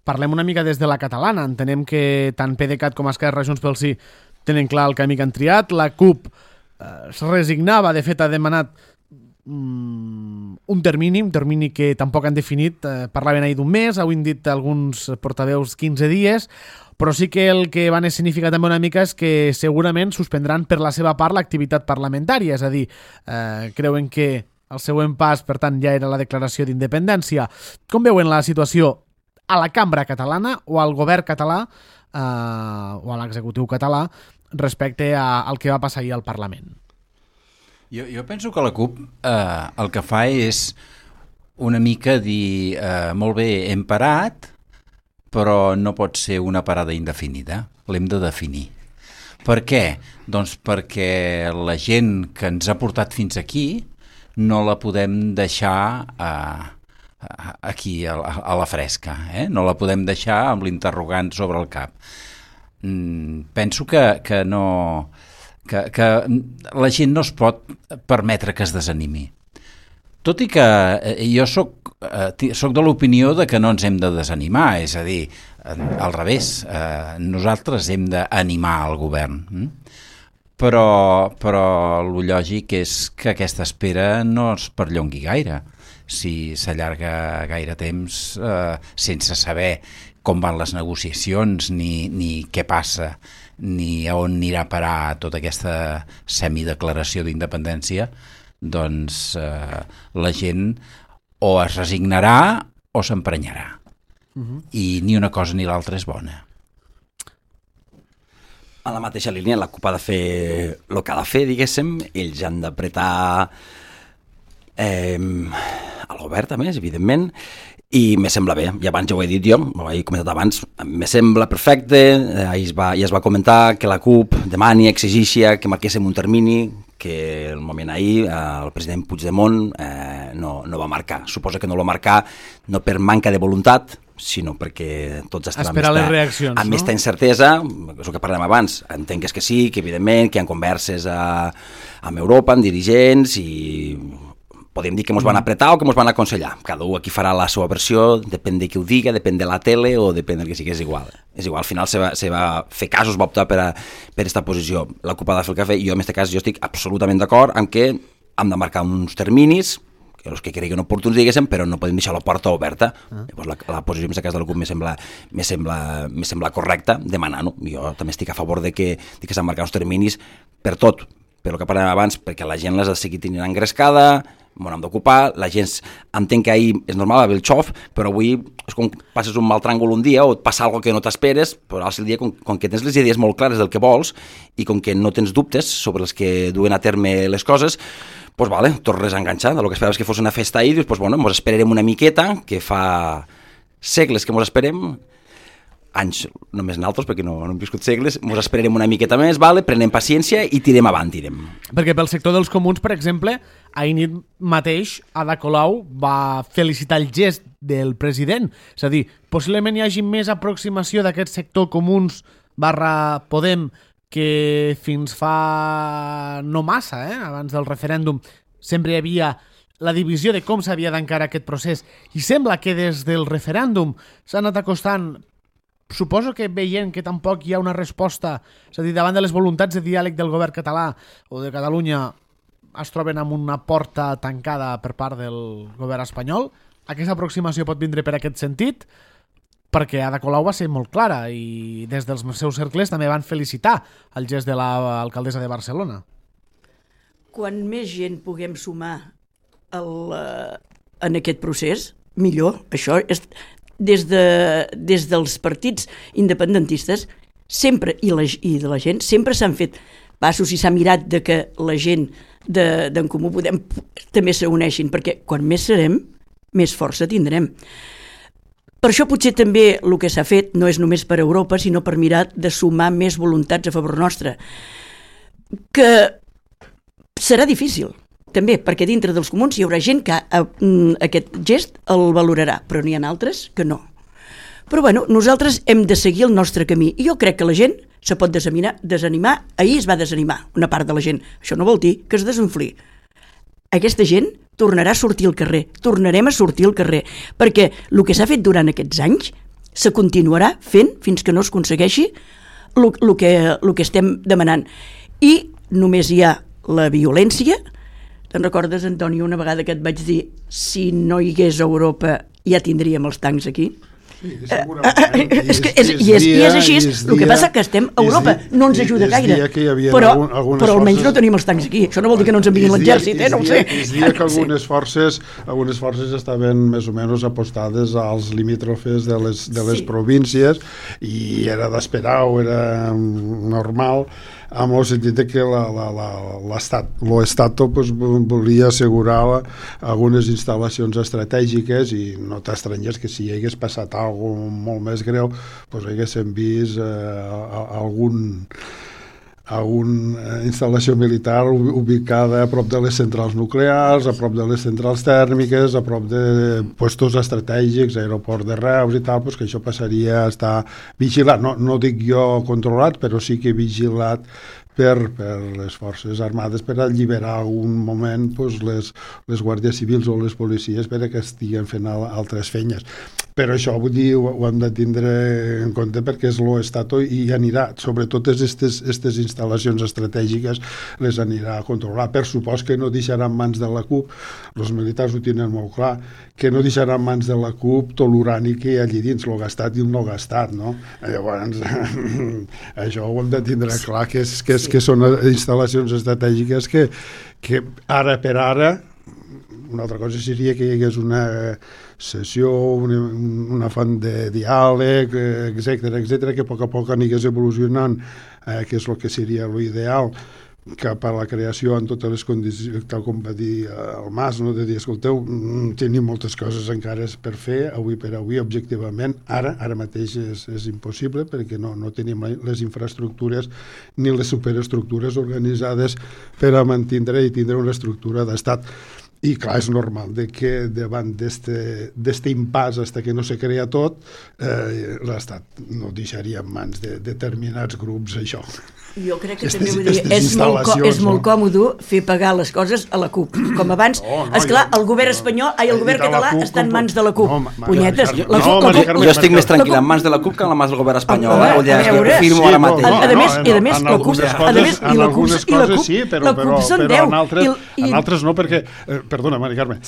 parlem una mica des de la catalana. Entenem que tant PDeCAT com Esquerra, Junts pel Sí tenen clar el camí que han triat. La CUP es resignava, de fet ha demanat un termini que tampoc han definit. Parlaven ahir d'un mes, avui han dit alguns portaveus 15 dies, però sí que el que van significar també una mica és que segurament suspendran per la seva part l'activitat parlamentària, és a dir, creuen que el següent pas, per tant, ja era la declaració d'independència. Com veuen la situació a la cambra catalana o al govern català o a l'executiu català respecte al que va passar ahir al Parlament? Jo penso que la CUP el que fa és una mica dir molt bé, hem parat, però no pot ser una parada indefinida, l'hem de definir. Per què? Doncs perquè la gent que ens ha portat fins aquí no la podem deixar aquí a la fresca, no la podem deixar amb l'interrogant sobre el cap. Penso que no... que la gent no es pot permetre que es desanimi. Tot i que jo soc de l'opinió de que no ens hem de desanimar, és a dir, al revés, nosaltres hem d'animar el govern. Però el lògic és que aquesta espera no es perllongui gaire. Si s'allarga gaire temps sense saber com van les negociacions, ni què passa, ni a on anirà a parar tota aquesta semideclaració d'independència, doncs la gent o es resignarà o s'emprenyarà. I ni una cosa ni l'altra és bona. A la mateixa línia, la CUP ha de fer el que ha de fer, diguéssim, ells han d'apretar al govern també, evidentment, i me sembla bé, i abans ja ho he dit jo, ho he comentat abans, me sembla perfecte, ja es va comentar que la CUP demani, exigixi que marquéssim un termini, que el moment ahir el president Puigdemont no va marcar. Suposa que no lo marcar no per manca de voluntat, sinó perquè tots estan amb aquesta incertesa, és el que parlem abans, entenc que sí, que evidentment que hi ha converses amb Europa, amb dirigents, i podem dir que ens van apretar o que ens van aconsellar. Cada un aquí farà la seva versió, depèn de qui ho diga, depèn de la tele o depèn del que sigui, és igual. És igual, al final se va fer casos, va optar per aquesta posició. La CUP ha de fer el que ha fet, i jo en aquest cas estic absolutament d'acord amb que hem de marcar uns terminis, els que creguen oportuns, diguéssim, però no podem deixar la porta oberta. Llavors la posició en aquest cas de la CUP me sembla correcta demanar-ho. Jo també estic a favor de que s'han marcat uns terminis per tot, per el que parlem abans, perquè la gent les ha de seguir tenint engrescada, m'ho hem d'ocupar, la gent entenc que ahir és normal haver el xof, però avui és com passes un mal tràngol un dia o et passa alguna que no t'esperes, però al dia, com que tens les idees molt clares del que vols i com que no tens dubtes sobre els que duen a terme les coses, doncs vale, tornes a enganxar del que esperaves que fos una festa ahir, dius, doncs bueno, ens esperarem una miqueta, que fa segles que ens esperem, anys només naltros, perquè no hem viscut segles, ens esperarem una miqueta més, vale, prenem paciència i tirem avant, tirem. Perquè pel sector dels comuns, per exemple, ahir nit mateix Ada Colau va felicitar el gest del president. És a dir, possiblement hi hagi més aproximació d'aquest sector comuns / Podem que fins fa no massa, abans del referèndum, sempre hi havia la divisió de com s'havia d'encarar aquest procés, i sembla que des del referèndum s'ha anat acostant, suposo que veient que tampoc hi ha una resposta, és a dir, davant de les voluntats de diàleg del govern català o de Catalunya es troben amb una porta tancada per part del govern espanyol. Aquesta aproximació pot vindre per aquest sentit, perquè Ada Colau va ser molt clara i des dels seus cercles també van felicitar el gest de l'alcaldessa de Barcelona. Quan més gent puguem sumar en aquest procés, millor. Això és des dels partits independentistes sempre, i de la gent, sempre s'han fet passos i s'ha mirat de que la gent d'en Comú Podem també s'uneixin, perquè quan més serem, més força tindrem. Per això potser també el que s'ha fet no és només per Europa, sinó per mirar de sumar més voluntats a favor nostre. Que serà difícil, també, perquè dintre dels comuns hi haurà gent que aquest gest el valorarà, però n'hi ha altres que no. Però bueno, nosaltres hem de seguir el nostre camí, i jo crec que la gent se pot desanimar. Ahir es va desanimar una part de la gent. Això no vol dir que es desinfli. Aquesta gent tornarà a sortir al carrer, tornarem a sortir al carrer, perquè el que s'ha fet durant aquests anys se continuarà fent fins que no es aconsegueixi el que estem demanant. I només hi ha la violència. Te'n recordes, Antoni, una vegada que et vaig dir si no hi hagués Europa ja tindríem els tancs aquí? Sí, és així. El que passa que estem a Europa, no ens ajuda gaire, però almenys no tenim els tancs aquí. Això no vol dir que no ens enviïn l'exèrcit, no ho sé. Es dia que algunes forces estaven més o menys apostades als limítrofes de les províncies, i era d'esperar, o era normal, amb el sentit que l'Estato volia assegurar algunes instal·lacions estratègiques, i no t'estranyes que si hi hagués passat alguna cosa molt més greu, haguéssim vist alguna instal·lació militar ubicada a prop de les centrals nuclears, a prop de les centrals tèrmiques, a prop de puestos estratègics, aeroport de Reus i tal, que això passaria a estar vigilat. No dic jo controlat, però sí que vigilat per les forces armades, per alliberar algun moment les guàrdies civils o les policies per que estiguen fent altres feines. Però això, vull dir, ho hem de tindre en compte, perquè és l'Estato i anirà, sobretot aquestes instal·lacions estratègiques les anirà a controlar. Per supost que no deixarà en mans de la CUP, els militars ho tenen molt clar, que no deixarà en mans de la CUP tot l'urani que hi ha allí dins, el gastat i el no gastat, no? Llavors, això ho hem de tindre clar, que són instal·lacions estratègiques que ara per ara, una altra cosa seria que hi hagués una sessió, una font de diàleg, etcètera, que a poc anigués evolucionant, que és el que seria l'ideal, cap a la creació en totes les condicions, tal com va dir el Mas, no? De dir, escolteu, tenim moltes coses encara per fer, avui per avui, objectivament, ara mateix és impossible, perquè no tenim les infraestructures ni les superestructures organitzades per a mantindre i tindre una estructura d'estat. I clar, és normal que davant d'este impàs fins que no se crea tot, l'Estat no deixaria en mans de determinats grups això. Jo crec que també vull dir, és molt còmode fer pagar les coses a la CUP. Com abans, esclar, el govern espanyol, el govern català està en mans de la CUP. Punyetes. Jo estic més tranquil en mans de la CUP que en mans del govern espanyol. Firmo ara mateix. A més, la CUP són 10. En altres no, perquè perdona, Mari Carme,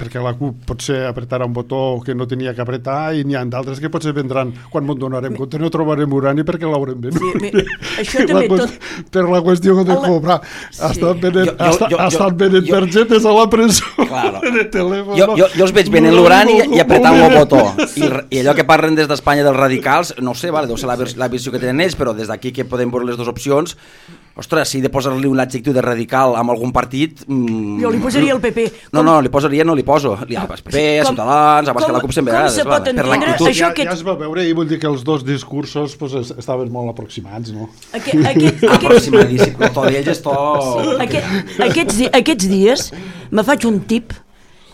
perquè la CUP potser apretarà un botó que no tenia que apretar i n'hi ha d'altres que potser vendran quan m'ho donarem compte, no trobarem urani perquè l'haurem venut. Això també per la qüestió de cobrar. Estan venent targetes a la presó de telèfon. Jo els veig venent l'urani i apretant el botó. I allò que parlen des d'Espanya dels radicals, no sé, deu ser la visió que tenen ells, però des d'aquí que podem veure les dues opcions. Ostres, si he de posar-li un adjectiu de radical amb algun partit... Jo li posaria el PP. No, li poso. Al PP, a Ciutadans, abans que la CUP sempre vegades. Com se pot entendre això que... Ja es va veure i vull dir que els dos discursos estaven molt aproximats, no? Aproximadíssim, el to d'ells és to... Aquests dies me faig un tip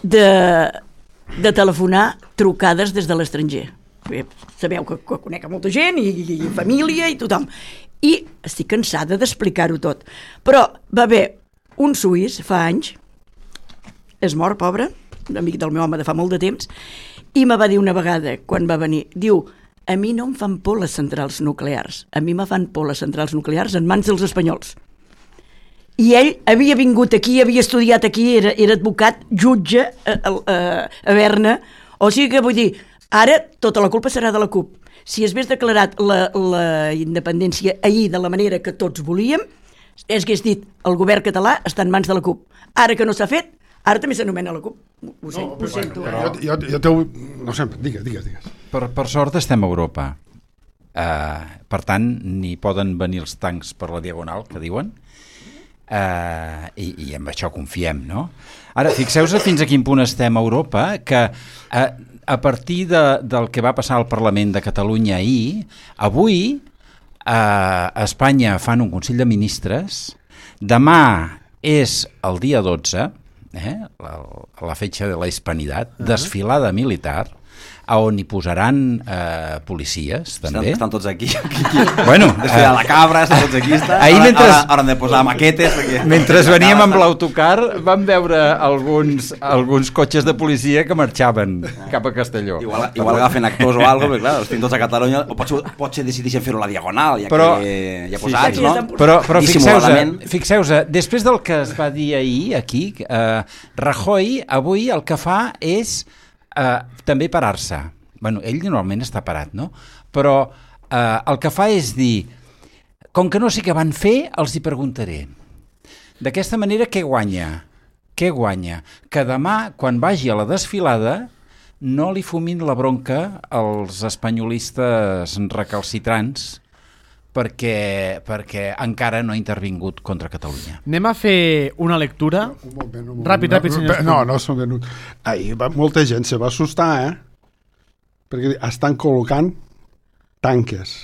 de telefonar trucades des de l'estranger. Sabeu que conec a molta gent i família i tothom. I estic cansada d'explicar-ho tot. Però va haver un suís fa anys, és mort, pobre, un amic del meu home de fa molt de temps, i me va dir una vegada, quan va venir, diu, a mi no em fan por les centrals nuclears, a mi me fan por les centrals nuclears en mans dels espanyols. I ell havia vingut aquí, havia estudiat aquí, era advocat, jutge a Berna, o sigui que vull dir, ara tota la culpa serà de la CUP. Si es hagués declarat la independència ahir de la manera que tots volíem, es hagués dit el govern català està en mans de la CUP. Ara que no s'ha fet, ara també s'anomena la CUP. Ho sento. No sé, digues. Per sort estem a Europa. Per tant, ni poden venir els tancs per la diagonal, que diuen, i amb això confiem, no? Ara, fixeu-vos fins a quin punt estem a Europa, que... a partir del que va passar al Parlament de Catalunya ahir, avui a Espanya fan un Consell de Ministres, demà és el dia 12, la fetge de la Hispanitat, desfilada militar, on hi posaran policies, també. Estan tots aquí. Bueno, desfilar la cabra, estan tots aquí. Ara han de posar maquetes. Mentre veníem amb l'autocar vam veure alguns cotxes de policia que marxaven cap a Castelló. Igual agafen actors o alguna cosa, clar, els tinc tots a Catalunya, o potser decideixen fer-ho a la diagonal, ja que ja posats, no? Però fixeu-vos, després del que es va dir ahir aquí, Rajoy avui el que fa és també parar-se. Bueno, ell normalment està parat, no? Però el que fa és dir, com que no sé què van fer, els hi preguntaré. D'aquesta manera, què guanya? Què guanya? Que demà, quan vagi a la desfilada, no li fumin la bronca als espanyolistes recalcitrants perquè encara no ha intervingut contra Catalunya. Anem a fer una lectura. Un moment. Ràpid, senyor. No s'ha venut. Molta gent se va assustar, perquè estan col·locant tanques.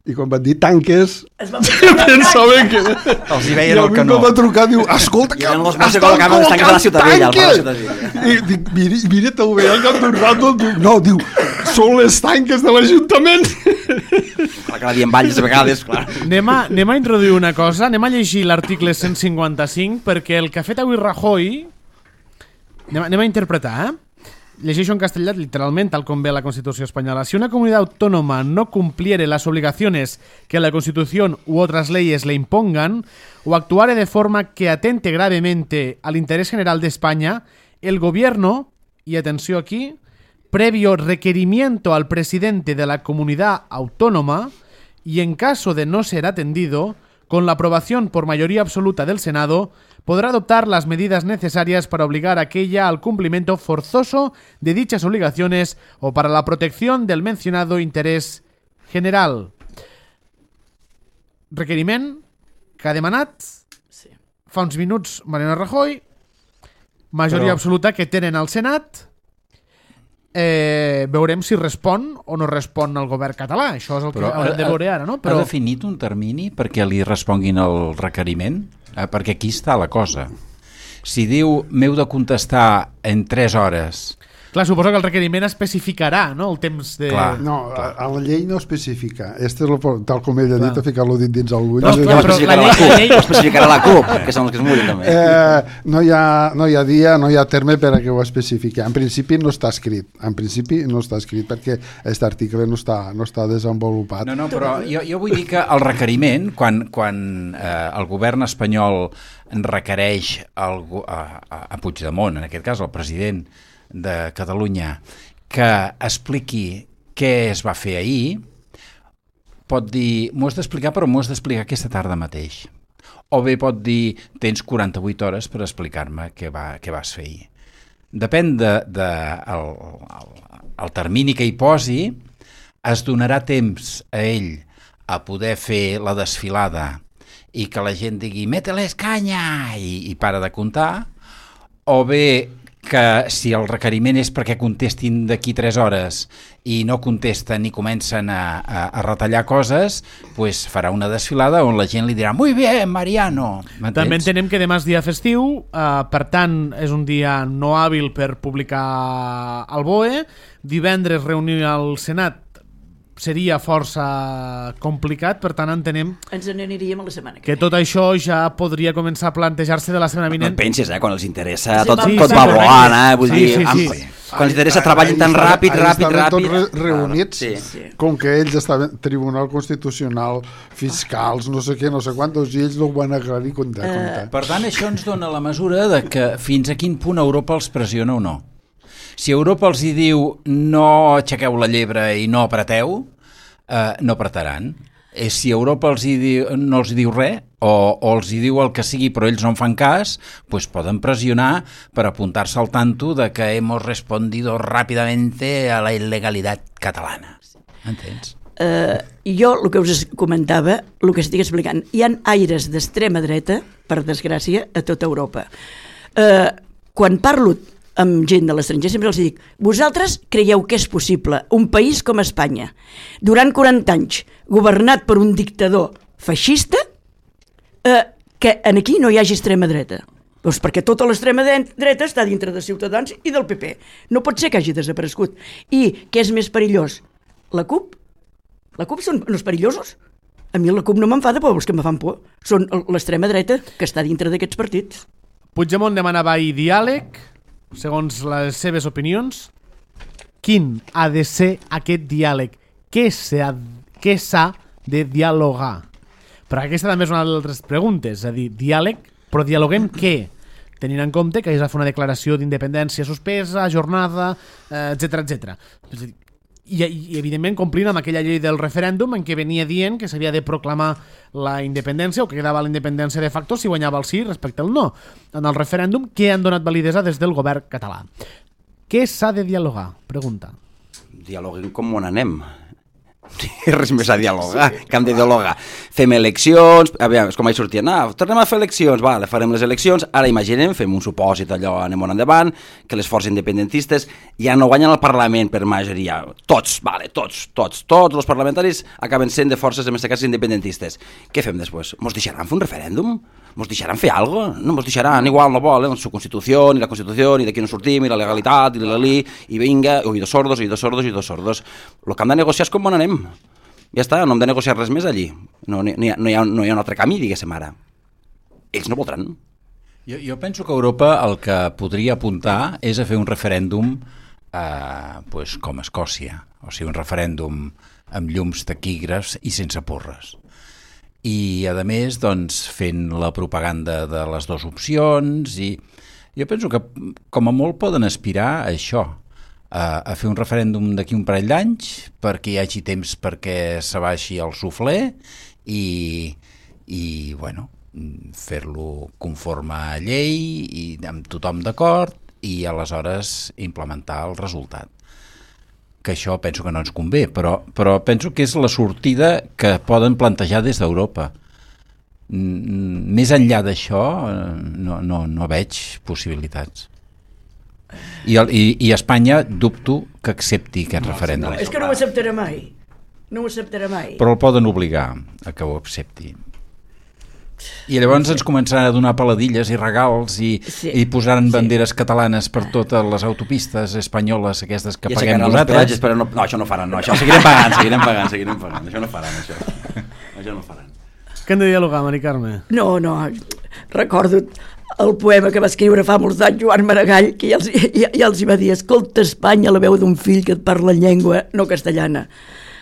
I quan van dir tanques, pensaven que... Els hi veien el canó. I a mi va trucar, diu, escolta, que estan col·locant tanques! I dic, mira, te'l veia al cap d'un rato, no, diu, són les tanques de l'Ajuntament. Clar que la diem valls a vegades, clar. Anem a introduir una cosa, anem a llegir l'article 155, perquè el que ha fet avui Rajoy, anem a interpretar, Llegeixo en castellà literalment, tal com ve la Constitució espanyola. Si una comunidad autónoma no cumpliere las obligaciones que la Constitución u otras leyes le impongan, o actuare de forma que atente gravemente al interés general de España, el gobierno, y atenció aquí, previo requerimiento al presidente de la comunidad autónoma, y en caso de no ser atendido, con la aprobación por mayoría absoluta del Senado, podrá adoptar las medidas necesarias para obligar a aquella al cumplimiento forzoso de dichas obligaciones o para la protección del mencionado interés general. Requeriment que ha demanat fa uns minuts Mariano Rajoy, majoria absoluta que tenen al Senat. Veurem si respon o no respon el govern català. Això és el que haurem de veure ara, no? Ha definit un termini perquè li responguin el requeriment? Perquè aquí està la cosa. Si diu m'heu de contestar en 3 hores... Clar, suposo que el requeriment especificarà, no?, el temps de... No, a la llei no especifica. Tal com ell ha dit, a ficar-lo dins el bull. No, especificarà la CUP, que són els que es mullen també. No hi ha dia, no hi ha terme per a que ho especifiqui. En principi no està escrit. Perquè aquest article no està desenvolupat. No, però jo vull dir que el requeriment, quan el govern espanyol requereix a Puigdemont, en aquest cas el president de Catalunya, que expliqui què es va fer ahir, pot dir, m'ho has d'explicar, però m'ho has d'explicar aquesta tarda mateix. O bé pot dir, tens 48 hores per explicar-me què vas fer ahir. Depèn el termini que hi posi, es donarà temps a ell a poder fer la desfilada i que la gent digui «mételes canya» i para de comptar, o bé que si el requeriment és perquè contestin d'aquí 3 hores i no contesten i comencen a retallar coses, pues farà una desfilada on la gent li dirà «Muy bien, Mariano». També entenem que demà és dia festiu, per tant és un dia no hàbil per publicar el BOE. Divendres reunir al Senat seria força complicat, per tant entenem... Ens n'aniríem a la setmana que tot això ja podria començar a plantejar-se de la setmana vinent. No pensis, quan els interessa tot va volant, vull dir... Quan els interessa treballen tan ràpid... Estaven tots reunits, com que ells estaven Tribunal Constitucional, fiscals, no sé què, no sé quantos, i ells no ho van aclarir comptar. Per tant, això ens dona la mesura de que fins a quin punt Europa els pressiona o no. Si Europa els hi diu no aixequeu la llebre i no apreteu, no apretaran. Si Europa no els diu res o els hi diu el que sigui però ells no en fan cas, pues poden pressionar per apuntar-se al tanto de que hemos respondido rápidamente a la ilegalidad catalana. Entens? Jo el que us comentava, el que estic explicant, hi ha aires d'extrema dreta, per desgràcia, a tota Europa. Quan parlo amb gent de l'estranger sempre els dic, vosaltres creieu que és possible un país com Espanya, durant 40 anys governat per un dictador feixista, que aquí no hi hagi extrema dreta? Doncs perquè tota l'extrema dreta està dintre de Ciutadans i del PP. No pot ser que hagi desaparegut. I què és més perillós? La CUP? La CUP són els perillosos? A mi la CUP no m'enfada, però els que me fan por són l'extrema dreta que està dintre d'aquests partits. Puigdemont demanava ahir diàleg. Segons les seves opinions, quin ha de ser aquest diàleg? Què s'ha de dialogar? Però aquesta també és una d'altres preguntes, és a dir, diàleg, però dialoguem què? Tenint en compte que es va fer una declaració d'independència suspesa, jornada, etc. I evidentment complint amb aquella llei del referèndum en què venia dient que s'havia de proclamar la independència o que quedava la independència de facto si guanyava el sí respecte al no. En el referèndum, què han donat validesa des del govern català? Què s'ha de dialogar? Pregunta. Dialoguem com on anem. Res més a dialogar, que hem de dialogar. Fem eleccions, és com ahir sortien, tornem a fer eleccions, vale, farem les eleccions, ara imaginem, fem un supòsit allò, anem on endavant, que les forces independentistes ja no guanyen el Parlament per majoria, tots els parlamentaris acaben sent de forces domesticades independentistes. Què fem després? Mos deixaran fer un referèndum? Mos deixaran fer alguna cosa? No mos deixaran, igual no volen, su Constitució, ni la Constitució, ni d'aquí no sortim, i la legalitat, i vinga, oïdos sordos. Lo que hem de negociar és com on anem. Ja està, no hem de negociar res més allí. No hi ha un altre camí, diguéssim ara. Ells no voldran. Jo penso que Europa el que podria apuntar és a fer un referèndum com a Escòcia, o sigui, un referèndum amb llums taquígrafs i sense porres. I, a més, doncs, fent la propaganda de les dues opcions, i jo penso que, com a molt, poden aspirar a això, a fer un referèndum d'aquí un parell d'anys, perquè hi hagi temps perquè s'abaixi el suflé i bueno, fer-lo conforme a llei i amb tothom d'acord i aleshores implementar el resultat. Que això penso que no ens convé, però penso que és la sortida que poden plantejar des d'Europa. més enllà d'això no veig possibilitats. I Espanya dubto que accepti aquest referèndum. És que no ho acceptarà mai. No ho acceptarà mai. Però el poden obligar a que ho accepti. I llavors ens començaran a donar peladilles i regals i posaran banderes catalanes per totes les autopistes espanyoles aquestes que paguem nosaltres. Però no, això no faran, no, això seguirem pagant. Això no faran, això no faran. Què hem de dialogar, Mari Carme? No, recordo el poema que va escriure fa molts anys Joan Maragall, que ja els hi va dir: escolta, Espanya, la veu d'un fill que et parla en llengua no castellana.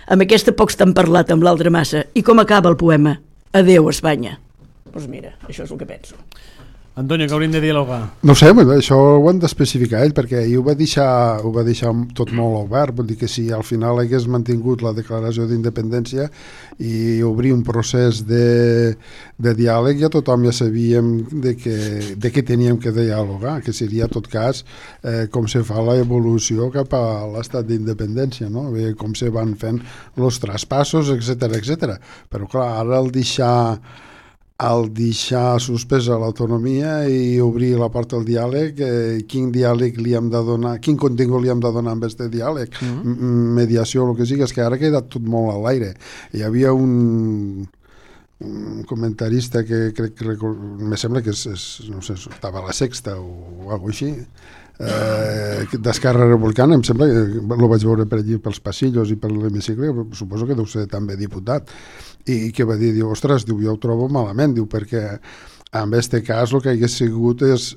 Amb aquesta pocs t'han parlat, amb l'altra massa. I com acaba el poema? Adéu, Espanya. Doncs mira, això és el que penso. Antonio, que hauríem de dialogar? No sé, això ho han d'especificar ell, perquè ell ho va deixar tot molt obert. Vull dir que si al final hagués mantingut la declaració d'independència i obrir un procés de diàleg, ja tothom ja sabíem de què teníem que dialogar, que seria, en tot cas, com se fa l'evolució cap a l'estat d'independència, no? Com se van fent els traspassos, etc. Però clar, ara al deixar suspesa l'autonomia i obrir la porta al diàleg, quin diàleg li hem de donar, quin contingut li hem de donar amb aquest diàleg, mediació, el que sigui, és que ara ha quedat tot molt a l'aire. Hi havia un comentarista que crec que me sembla que no sé, estava a La Sexta o alguna cosa així, d'Esquerra Republicana, em sembla que el vaig veure per allí pels passillos i per l'hemicicle, suposo que deu ser també diputat, i que va dir, ostres, jo ho trobo malament, perquè en aquest cas el que hagués sigut és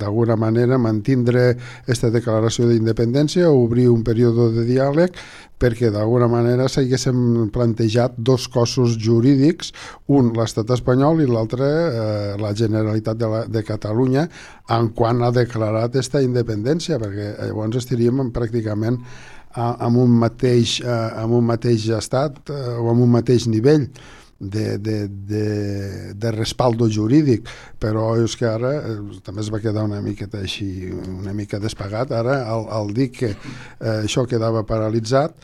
d'alguna manera mantindre aquesta declaració d'independència, obrir un període de diàleg, perquè d'alguna manera s'haguéssim plantejat dos cossos jurídics, un l'estat espanyol i l'altre la Generalitat de Catalunya, en quan ha declarat aquesta independència, perquè llavors estaríem pràcticament amb un mateix estat o amb un mateix nivell de respaldo jurídic, però és que ara també es va quedar una miqueta així, una mica despagat. Ara al dir que això quedava paralitzat,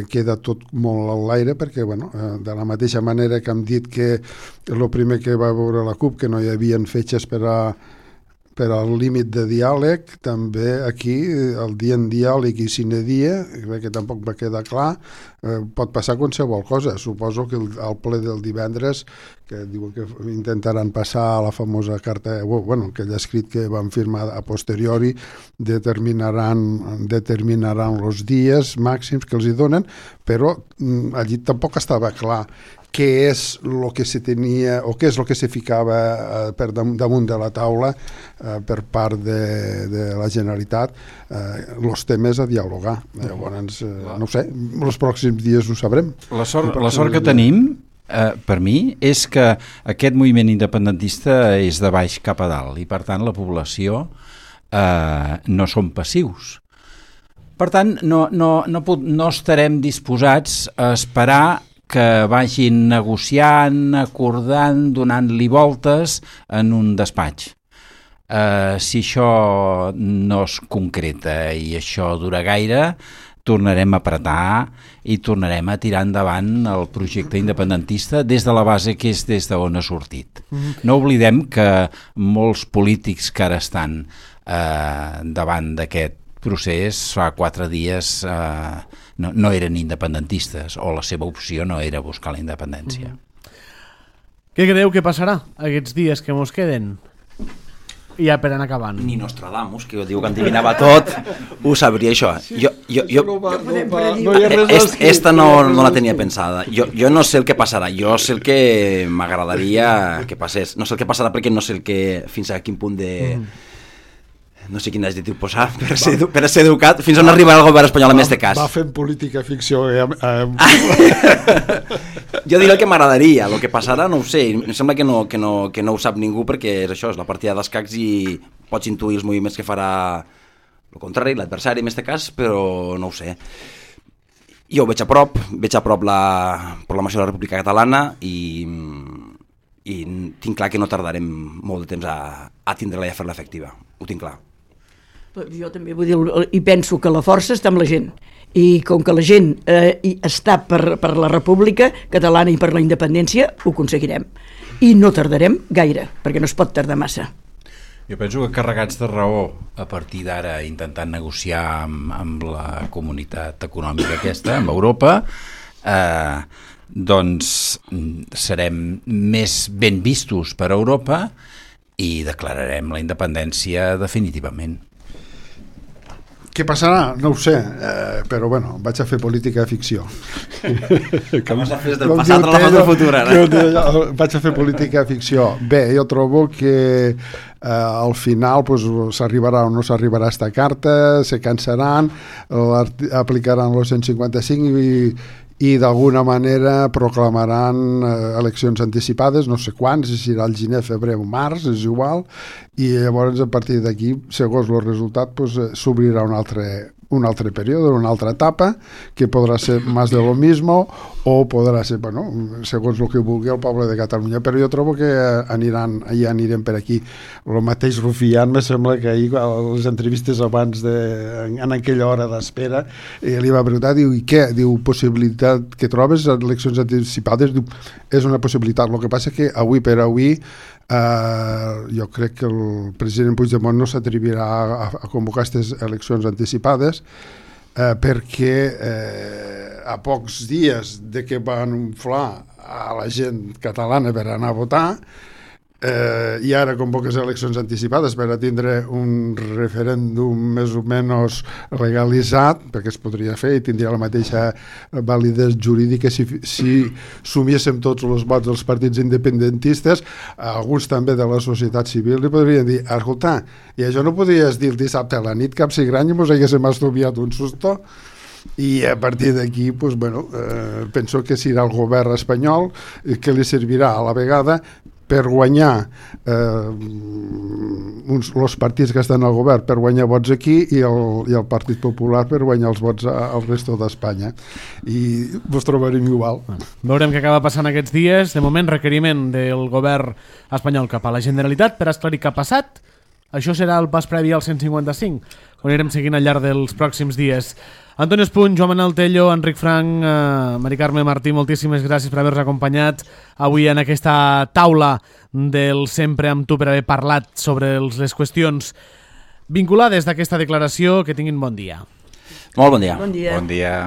queda tot molt a l'aire, perquè de la mateixa manera que hem dit que el primer que va veure la CUP, que no hi havia fetges per al límit de diàleg, també aquí el dia en diàleg i sine dia, que tampoc va quedar clar, pot passar qualsevol cosa. Suposo que al ple del divendres, que diuen que intentaran passar la famosa carta, aquell escrit que van firmar a posteriori, determinaran els dies màxims que els hi donen, però allí tampoc estava clar què és el que se tenia o què és el que se ficava per damunt de la taula per part de la Generalitat, els temes a dialogar. Llavors, no sé, els pròxims dies ho sabrem. La sort que tenim, per mi, és que aquest moviment independentista és de baix cap a dalt i, per tant, la població no són passius. Per tant, no estarem disposats a esperar que vagin negociant, acordant, donant-li voltes en un despatx. Si això no es concreta i això dura gaire, tornarem a apretar i tornarem a tirar endavant el projecte independentista des de la base que és des d'on ha sortit. No oblidem que molts polítics que ara estan davant d'aquest procés fa 4 dies no eren independentistes, o la seva opció no era buscar la independència. Què creieu que passarà aquests dies que mos queden? Ja per anar acabant. Ni Nostradamus, que diu que endivinava tot, ho sabria això. Esta no la tenia pensada. Jo no sé el que passarà, jo sé el que m'agradaria que passés. No sé el que passarà perquè no sé fins a quin punt de... no sé quin adjectiu posar per ser educat, fins on arribarà el govern espanyol en aquest cas. Va fent política ficció. Jo diré el que m'agradaria, el que passarà no ho sé, em sembla que no ho sap ningú, perquè és això, és la partida d'escacs i pots intuir els moviments que farà el contrari, l'adversari en aquest cas, però no ho sé. Jo ho veig a prop la proclamació de la República Catalana i tinc clar que no tardarem molt de temps a tindre-la i a fer-la efectiva, ho tinc clar. Jo també vull dir, i penso que la força està amb la gent, I com que la gent està per la República Catalana i per la independència, ho aconseguirem. I no tardarem gaire, perquè no es pot tardar massa. Jo penso que carregats de raó, a partir d'ara intentant negociar amb la comunitat econòmica aquesta, amb Europa, doncs serem més ben vistos per Europa i declararem la independència definitivament. Què passarà? No ho sé, però bueno, vaig a fer política ficció. Com has de fer del passat a la foto futura, no? Vaig a fer política ficció. Bé, jo trobo que al final s'arribarà o no s'arribarà esta carta, se cansaran, aplicaran el 155 i d'alguna manera proclamaran eleccions anticipades, no sé quants, si serà el gener, febrer o març, és igual, i llavors a partir d'aquí, segons el resultat, s'obrirà un altre període, una altra etapa, que podrà ser més de lo mismo o podrà ser, bueno, segons el que vulgui el poble de Catalunya, però jo trobo que anirem per aquí. El mateix Rufián, me sembla que ahir a les entrevistes abans en aquella hora d'espera li va preguntar, diu, i què? Diu, possibilitat que trobes eleccions anticipades? Diu, és una possibilitat, el que passa que avui per avui jo crec que el president Puigdemont no s'atrevirà a convocar aquestes eleccions anticipades perquè a pocs dies de que van inflar a la gent catalana per anar a votar i ara convoques eleccions anticipades per a tindre un referèndum més o menys legalitzat, perquè es podria fer i tindria la mateixa validesa jurídica si sumiéssim tots els vots dels partits independentistes, alguns també de la societat civil li podrien dir, escolta, i això no podries dir el dissabte a la nit cap cigrany i mos haguéssim estudiat un susto? I a partir d'aquí penso que serà el govern espanyol que li servirà a la vegada per guanyar els partits que estan al govern per guanyar vots aquí i el Partit Popular per guanyar els vots al resto d'Espanya, i vos trobarem igual. Veurem què acaba passant aquests dies. De moment, requeriment del govern espanyol cap a la Generalitat per esclarir què ha passat. Això serà el pas previ al 155, on anirem seguint al llarg dels pròxims dies. Antonio Espuny, Joan Manel Tello, Enric Frank, Mari Carme Martí, moltíssimes gràcies per haver-nos acompanyat avui en aquesta taula del Sempre amb tu per haver parlat sobre les qüestions vinculades d'aquesta declaració. Que tinguin bon dia. Molt bon dia. Bon dia. Bon dia.